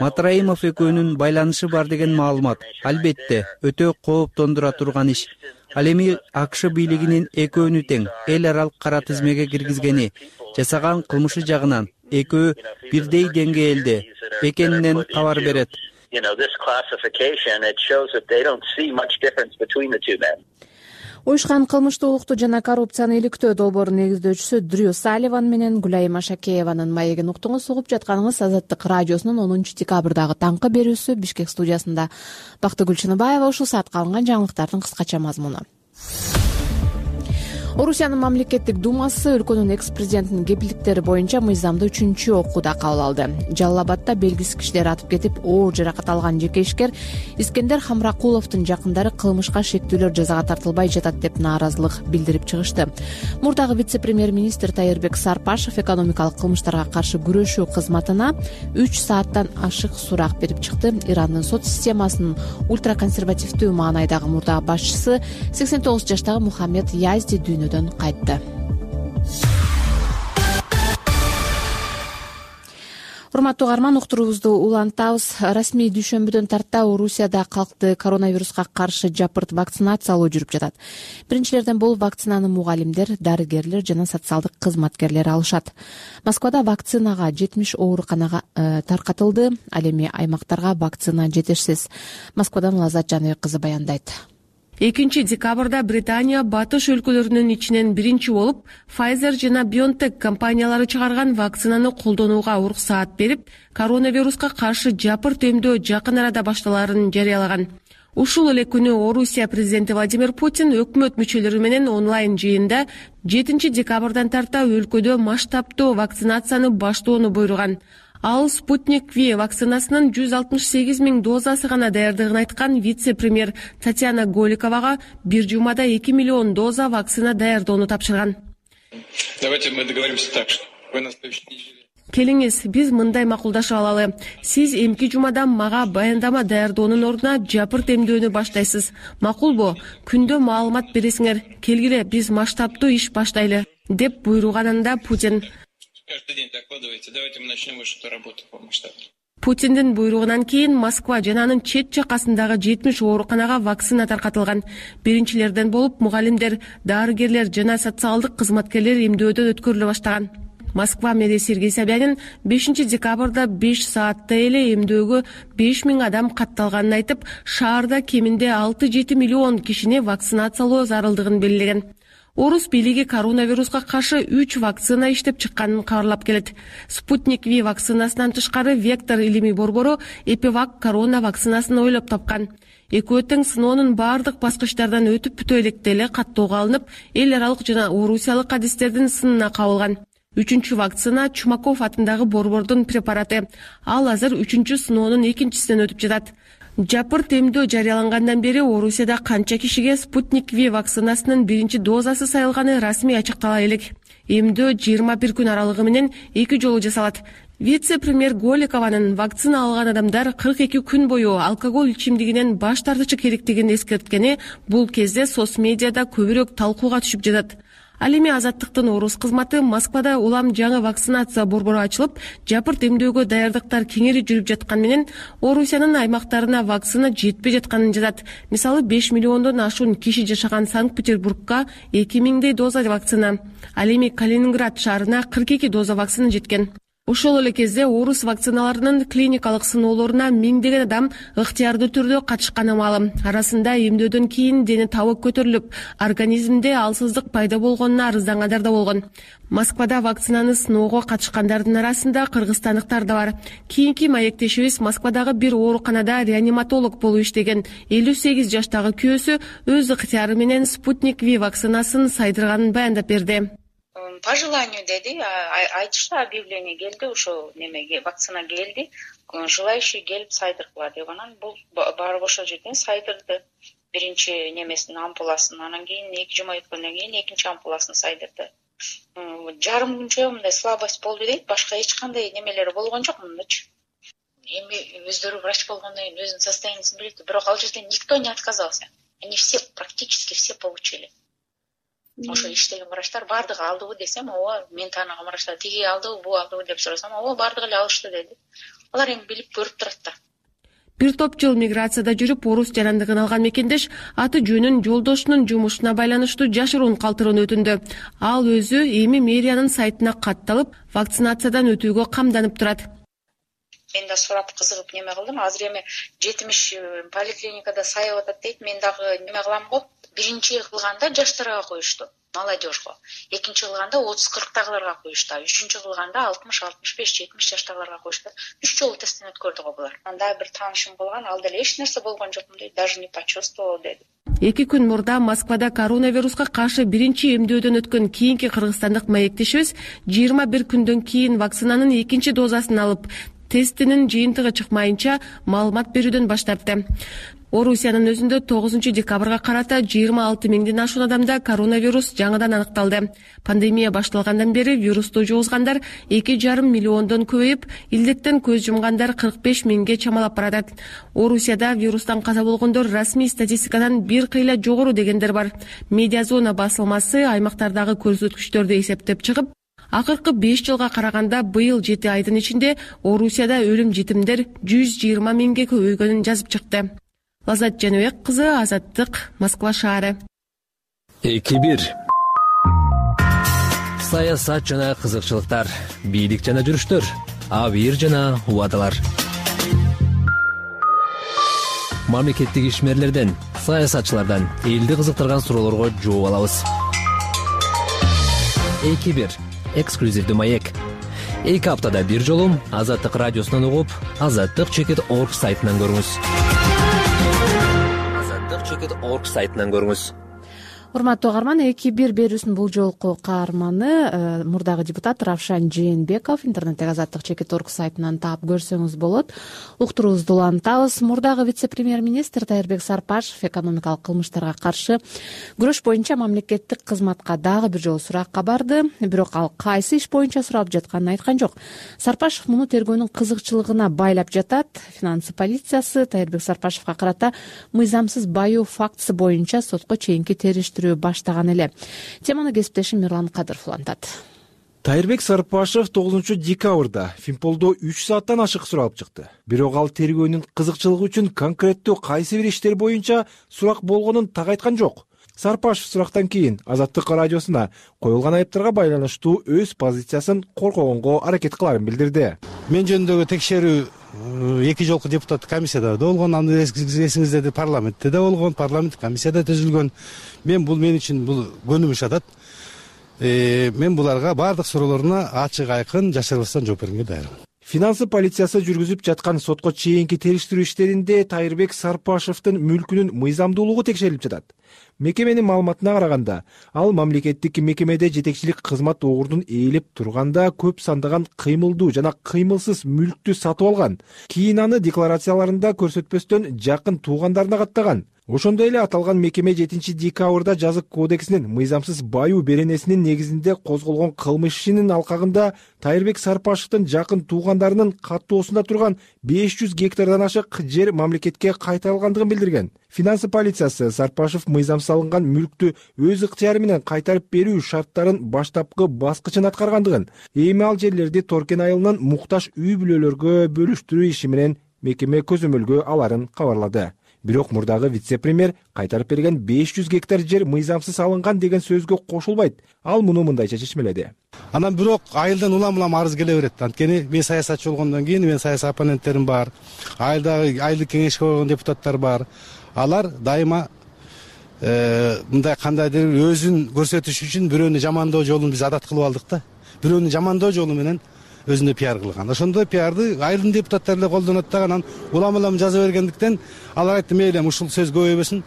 Speaker 13: Матраимов экөөнүн байланышы бар деген маалымат албетте өтө кооптондура турган иш. Ал эми АКШ бийлигинин экөөнү тең эл аралык кара тизмеге киргизгени, жасаган кылмышы жагынан экөө бирдей деңгээлде экенинен кабар берет.
Speaker 1: Уюшкан кылмыштуулукту жана коррупцияны иликтөө долбоорунун негиздөөчүсү Дрю Салливан менен Гүлайым Ашакееванын маегин уктуңуз. Угуп жатканыңыз Азаттык радиосунун онунчу декабрдагы таңкы берүүсү. Бишкек студиясында Бактыгүл Чыныбаева. Ушул саатка алынган жаңылыктардын кыскача мазмуну. Орусиянын мамлекеттик думасы өлкөнүн экс президентинин кепилдиктери боюнча мыйзамды үчүнчү окууда кабыл алды. Жалал Абадда белгисиз кишилер атып кетип, оор жаракат алган жеке ишкер Искендер Хамракуловдун жакындары кылмышка шектүүлөр жазага тартылбай жатат деп нааразылык билдирип чыгышты. Мурдагы вице-премьер-министр Тайырбек Сарпашев экономикалык кылмыштарга каршы күрөшүү кызматына үч сааттан ашык сурак берип чыкты. Ирандын сот системасынын ультраконсервативдүү маанайдагы мурдагы башчысы сексен тогуз жаштагы Мухаммед Язди дүйнөдөн кайтты. Урматтуу угарман, уктуруубузду улантабыз. Расмий дүйшөмбүдөн тарта Орусияда калкты коронавируска каршы жапырт вакцинациялоо жүрүп жатат. Биринчилерден болуп вакцинаны мугалимдер, дарыгерлер жана социалдык кызматкерлер алышат. Москвада вакцинага жетимиш ооруканага э, таркатылды. Ал эми аймактарга вакцина жетишсиз. Москвадан Лазат Жаныбек кызы баяндайт.
Speaker 3: экинчи декабрда Британия батыш өлкөлөрүнүн ичинен биринчи болуп Pfizer жана BioNTech компаниялары чыгарган вакцинаны колдонууга уруксаат берип, коронавируска каршы жапырт эмдөө жакын арада башталарын жарыялаган. Ушул эле күнү Орусия президенти Владимир Путин өкмөт мүчөлөрү менен онлайн жыйында жетинчи декабрдан тарта өлкөдө масштабтуу вакцинацияны баштоону буйруган. Ал Спутник Ви вакцинасынын жүз алтымыш сегиз миң дозасы гана даярдыгын айткан вице-премьер Татьяна Голиковага бир жумада эки миллион доза вакцина даярдоону тапшырган.
Speaker 7: Давайте мы договоримся так, что вы на следующей неделе.
Speaker 3: Келиңиз, биз мындай макулдашып алалы. Сиз эмки жумадан мага баяндама даярдоонун ордуна жапырт эмдөөнү баштайсыз. Макулбу? Күндө маалымат бересиңер. Келгиле, биз масштабтуу иш баштайлы, деп буйруганында Путин.
Speaker 7: Каждый день докладывайте. Давайте мы начнем вашу работу по масштабу.
Speaker 3: Путиндин буйругунан кийин Москва жана анын чет жакасындагы жетимиш ооруканага вакцина таркатылган. Биринчилерден болуп мугалимдер, дарыгерлер жана социалдык кызматкерлер эмдөөдөн өткөрүлө баштаган. Москва мэрии Сергей Собянин бешинчи декабрда беш саатта эле эмдөөгө беш миң адам катталганын айтып, шаарда кеминде алты жети миллион кишини вакцинациялоо зарылдыгын белгилеген. Орус бийлиги коронавируска каршы үч вакцина иштеп чыкканын кабарлап келет. Спутник Ви вакцинасынан тышкары Вектор илимий борбору Эпивак корона вакцинасын ойлоп тапкан. Экөө тең сыноонун бардык баскычтардан өтүп бүтө электе эле каттоого алынып, эл аралык жана орусиялык адистердин сынына кабылган. Үчүнчү вакцина Чумаков атындагы борбордун препараты. Ал азыр үчүнчү сыноонун экинчисинен өтүп жатат. Жапырт эмдөө жарыялангандан бери Орусияда канча кишиге Спутник Ви вакцинасынын биринчи дозасы сайылганы расмий ачыктала элек. Эмдөө жыйырма бир күн аралыгы менен эки жолу жасалат. Вице-премьер Голикованын вакцина алган адамдар кырк эки күн бою алкоголь ичимдигинен баш тартышы керектигин эскерткени бул кезде соц медиада көбүрөөк талкууга түшүп жатат. Ал эми Азаттыктын орус кызматы Москвада улам жаңы вакцинация борбору ачылып, жапырт эмдөөгө даярдыктар кеңири жүрүп жаткан менен Орусиянын аймактарына вакцина жетпей жатканын жазат. Мисалы беш миллиондон ашуун киши жашаган Санкт-Петербургка эки миңдей доза вакцина, ал эми Калининград шаарына кырк эки доза вакцина жеткен. Ошол эле кезде орус вакциналарынын клиникалык сыноолоруна миңдеген адам ыктыярдуу түрдө катышканы маалым. Арасында эмдөөдөн кийин дени табы көтөрүлүп, организмде алсыздык пайда болгонуна арыздангандар да болгон. Москвада вакцинаны сыноого катышкандардын арасында кыргызстандыктар да бар. Кийинки маектешибиз Москвадагы бир ооруканада реаниматолог болуп иштеген элүү сегиз жаштагы күйөөсү өз ыктыяры менен Спутник Ви вакцинасын сайдырганын баяндап берди.
Speaker 10: По желанию деди, айтышты, объявление келди, ошо немеге вакцина келди, желающий келип сайдыргыла деп, анан бул барып ошол жерден сайдырды. Биринчи немесин ампуласын, анан кийин эки жума өткөндөн кийин экинчи ампуласын сайдырды. Жарым күнчө мындай слабость болду дейт, башка эч кандай немелери болгон жок мындачы. Эми өздөрү врач болгондон кийин өзүнүн состояниясын билет, бирок ал жерден никто не отказался. Они все, практически все получили. Ошо иштеген врачтар бардыгы алдыбы десем, ооба, мен тааныган врачтар тиги алдыбы, бул алдыбы деп сурасам, ооба, бардыгы эле алышты деди. Алар эми билип көрүп турат да.
Speaker 3: Бир топ жыл миграцияда жүрүп, орус жарандыгын алган мекендеш аты жөнүн жолдошунун жумушуна байланыштуу жашыруун калтырууну өтүндү. Ал өзү эми мэриянын сайтына катталып, вакцинациядан өтүүгө камданып турат.
Speaker 10: Мен да сурап кызыгып неме кылдым. Азыр эми жетимиш поликлиникада сайып атат дейт. Мен дагы неме кылам го. Биринчи кылганда жаштарга коюшту, молодежьго. Экинчи кылганда отуз кырктагыларга коюшту. Үчүнчү кылганда алтымыш алтымыш беш жетимиш жаштагыларга коюшту. Үч жолу тесттен өткөрдү го булар. Анда бир таанышым болгон, ал деле эч нерсе болгон жокмун дейт, даже не почувствовал деди.
Speaker 3: эки күн мурда Москвада коронавируска каршы биринчи эмдөөдөн өткөн кийинки кыргызстандык маектешибиз жыйырма бир күндөн кийин вакцинанын экинчи дозасын алып, тестинин жыйынтыгы чыкмайынча маалымат берүүдөн баш тартты. Орусиянын өзүндө тогузунчу декабрга карата жыйырма алты миңден ашуун адамда коронавирус жаңыдан аныкталды. Пандемия башталгандан бери вирусту жугузгандар эки жарым миллиондон көбөйүп, илдеттен көз жумгандар кырк беш миңге чамалап баратат. Орусияда вирустан каза болгондор расмий статистикадан бир кыйла жогору дегендер бар. Медиазона басылмасы аймактардагы көрсөткүчтөрдү эсептеп чыгып, акыркы беш жылга караганда быйыл жети айдын ичинде Орусияда өлүм житимдер жүз жыйырма миңге көбөйгөнүн жазып чыкты. Лазат Жаныбек кызы, Азаттык, Москва шаары.
Speaker 11: эки бир Саясат жана кызыкчылыктар, бийлик жана жүрүштөр, абийир жана убадалар. Мамлекеттик ишмерлерден, саясатчылардан элди кызыктырган суроолорго жооп алабыз. эки бир эксклюзивдүү маек. Эки аптада бир жолу Азаттык радиосунан угуп, азаттык чекит точка орг сайтынан көрүңүз. азаттык чекит точка орг сайтынан көрүңүз.
Speaker 1: Урматтуу угарман, эки бир берүүсүнүн бул жолку каарманы мурдагы депутат Равшан Жээнбеков интернеттеги азаттык чекит точка орг сайтынан таап көрсөңүз болот. Уктуруубузду улантабыз. Мурдагы вице-премьер-министр Тайырбек Сарпашев экономикалык кылмыштарга каршы күрөш боюнча мамлекеттик кызматка дагы бир жолу суракка барды. Бирок ал кайсы иш боюнча суралып жатканын айткан жок. Сарпашев муну тергөөнүн кызыкчылыгына байлап жатат. Финансы полициясы Тайырбек Сарпашевга карата мыйзамсыз баюу фактысы боюнча сотко чейинки териштирүү баштаган эле. Теманы кесиптешим Мирлан Кадыров улантат.
Speaker 12: Тайырбек Сарпашев тогузунчу декабрда Фимполдо үч сааттан ашык суралып чыкты. Бирок ал тергөөнүн кызыкчылыгы үчүн конкреттүү кайсы бир иштер боюнча сурак болгонун так айткан жок. Сарпашев сурактан кийин Азаттык радиосуна коюлган айыптарга байланыштуу өз позициясын коркогонго аракет кыларын билдирди.
Speaker 14: Мен жөнүндөгү текшерүү эки жолку депутаттык комиссияда да болгон, аны эсиңиздеди, парламентте да болгон, парламенттик комиссияда түзүлгөн. Мен бул мен үчүн бул көнүмүш адат. Мен буларга баардык суроолоруна ачык айкын жашырбастан жооп берүүгө даярмын.
Speaker 12: Финансы полициясы жүргүзүп жаткан сотко чейинки териштирүү иштеринде Тайырбек Сарпашевдин мүлкүнүн мыйзамдуулугу текшерилип жатат. Мекеменин маалыматына караганда, ал мамлекеттик мекемеде жетекчилик кызмат огурдун ээлеп турганда көп сандаган кыймылдуу жана кыймылсыз мүлктү сатып алган. Кийин аны декларацияларында көрсөтпөстөн жакын туугандарына каттаган. Ошондой эле аталган мекеме жетинчи декабрда жазык кодексинин мыйзамсыз баюу беренесинин негизинде козголгон кылмыш ишинин алкагында Тайырбек Сарпашевдин жакын туугандарынын каттоосунда турган беш жүз гектардан ашык жер мамлекетке кайтарылгандыгын билдирген. Финансы полициясы Сарпашев мыйзамсыз алынган мүлктү өз ыктыяры менен кайтарып берүү шарттарын баштапкы баскычын аткаргандыгын, эми ал жерлерди Торкен айылынын муктаж үй бүлөлөргө бөлүштүрүү иши менен мекеме көзөмөлгө аларын кабарлады. Бирок мурдагы вице-премьер кайтарып берген беш жүз гектар жер мыйзамсыз алынган деген сөзгө кошулбайт. Ал муну мындайча чечмеледи.
Speaker 14: Анан бирок айылдан улам-улам арыз келе берет. Анткени мен саясатчы болгондон кийин мен саясий оппоненттерим бар. Айылдагы айылдык кеңешке койгон депутаттар бар. Алар дайыма мындай кандайдыр өзүн көрсөтүш үчүн бирөөнү жамандоо жолун биз адат кылып алдык да. Бирөөнү жамандоо жолу менен өзүнө пиар кылган. Ошондой пиарды айылдын депутаттары эле колдонот да, анан улам-улам жаза бергендиктен алар айтты, мейли ушул сөз көбөйбөсүн.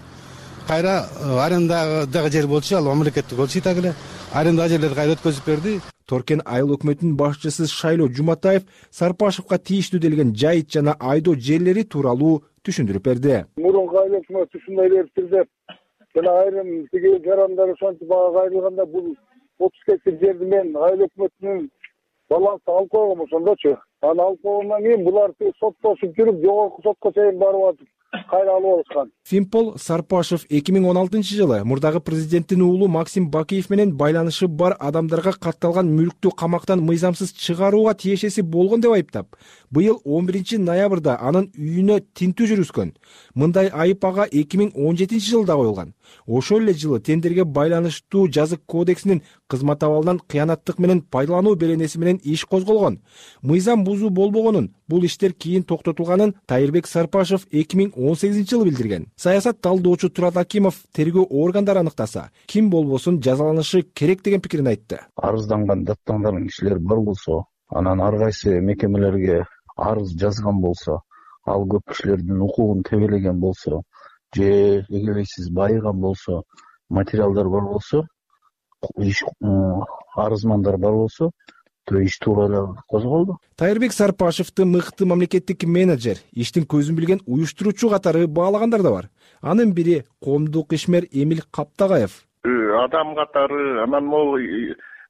Speaker 14: Кайра арендадагы жер болчу, ал мамлекеттик болчу так эле. Арендадагы жерлерди кайра өткөзүп берди.
Speaker 12: Торкен айыл өкмөтүнүн башчысы Шайло Жуматаев Сарпашевга тийиштүү делген жайыт жана айдоо жерлери тууралуу түшүндүрүп берди.
Speaker 15: Мурунку айыл өкмөтү ушундай бериптир деп, жана айрым тиги жарандар ошентип бага кайрылганда бул отуз гектар жерди мен айыл өкмөтүнүн балансы алып койгом ошондочу. Аны алып койгондон кийин булар соттошуп жүрүп, жогорку сотко чейин барып атып кайра алып алышкан.
Speaker 12: Фимпол Сарпашев эки миң он алтынчы жылы мурдагы президенттин уулу Максим Бакиев менен байланышы бар адамдарга катталган мүлктү камактан мыйзамсыз чыгарууга тиешеси болгон деп айыптап, быйыл он биринчи ноябрда анын үйүнө тинтүү жүргүзгөн. Мындай айып ага эки миң он жетинчи жылда коюлган. Ошол эле жылы тендерге байланыштуу жазык кодексинин кызмат абалынан кыянаттык менен пайдалануу беренеси менен иш козголгон. Мыйзам бузуу болбогонун, бул иштер кийин токтотулганын Тайырбек Сарпашев эки миң он сегизинчи жылы билдирген. Саясат талдоочу Турат Акимов тергөө органдары аныктаса, ким болбосун жазаланышы керек деген пикирин айтты.
Speaker 16: Арызданган, даттанган кишилер бар болсо, анан ар кайсы мекемелерге арыз жазган болсо, ал көп кишилердин укугун тебелеген болсо, же эгерде сиз байыган болсо, материалдар бар болсо, иш арызмандар бар болсо, то иш туура эле козголду.
Speaker 12: Тайырбек Сарпашевди мыкты мамлекеттик менеджер, иштин көзүн билген уюштуруучу катары баалагандар да бар. Анын бири коомдук ишмер Эмил Каптагаев.
Speaker 17: Адам катары, анан могу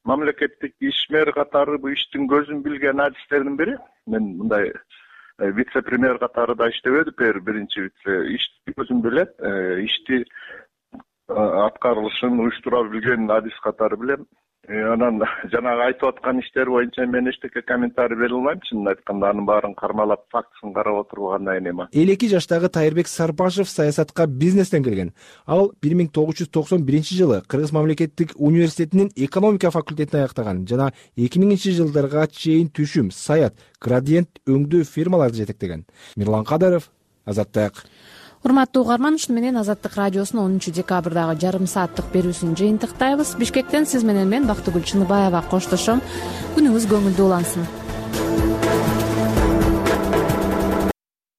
Speaker 17: мамлекеттик ишмер катары бул иштин көзүн билген адистердин бири. Мен мындай вице-премьер катары да иштебедим, биринчи вице. Ишти көзүн билет, ишти аткарылышын уюштура билген адис катары билем. Анан жанагы айтып аткан иштер боюнча мен эчтеке комментарий бере албайм. Чынын айтканда анын баарын кармалап, фактысын карап отургандан эми.
Speaker 12: элүү эки жаштагы Тайырбек Сарпашев саясатка бизнестен кирген. Ал бир миң тогуз жүз токсон биринчи жылы Кыргыз мамлекеттик университетинин экономика факультетин аяктаган жана эки миңинчи жылдарга чейин түшүм, саят, градиент өңдөө фирмаларды жетектеген. Мирлан Кадаров, Азаттык.
Speaker 1: Урматтуу угарман, ушуну менен Азаттык радиосунун онунчу декабрдагы жарым сааттык берүүсүн жыйынтыктайбыз. Бишкектен сиз менен мен Бактыгүл Чыныбаева коштошом. Күнүңүз көңүлдүү улансын.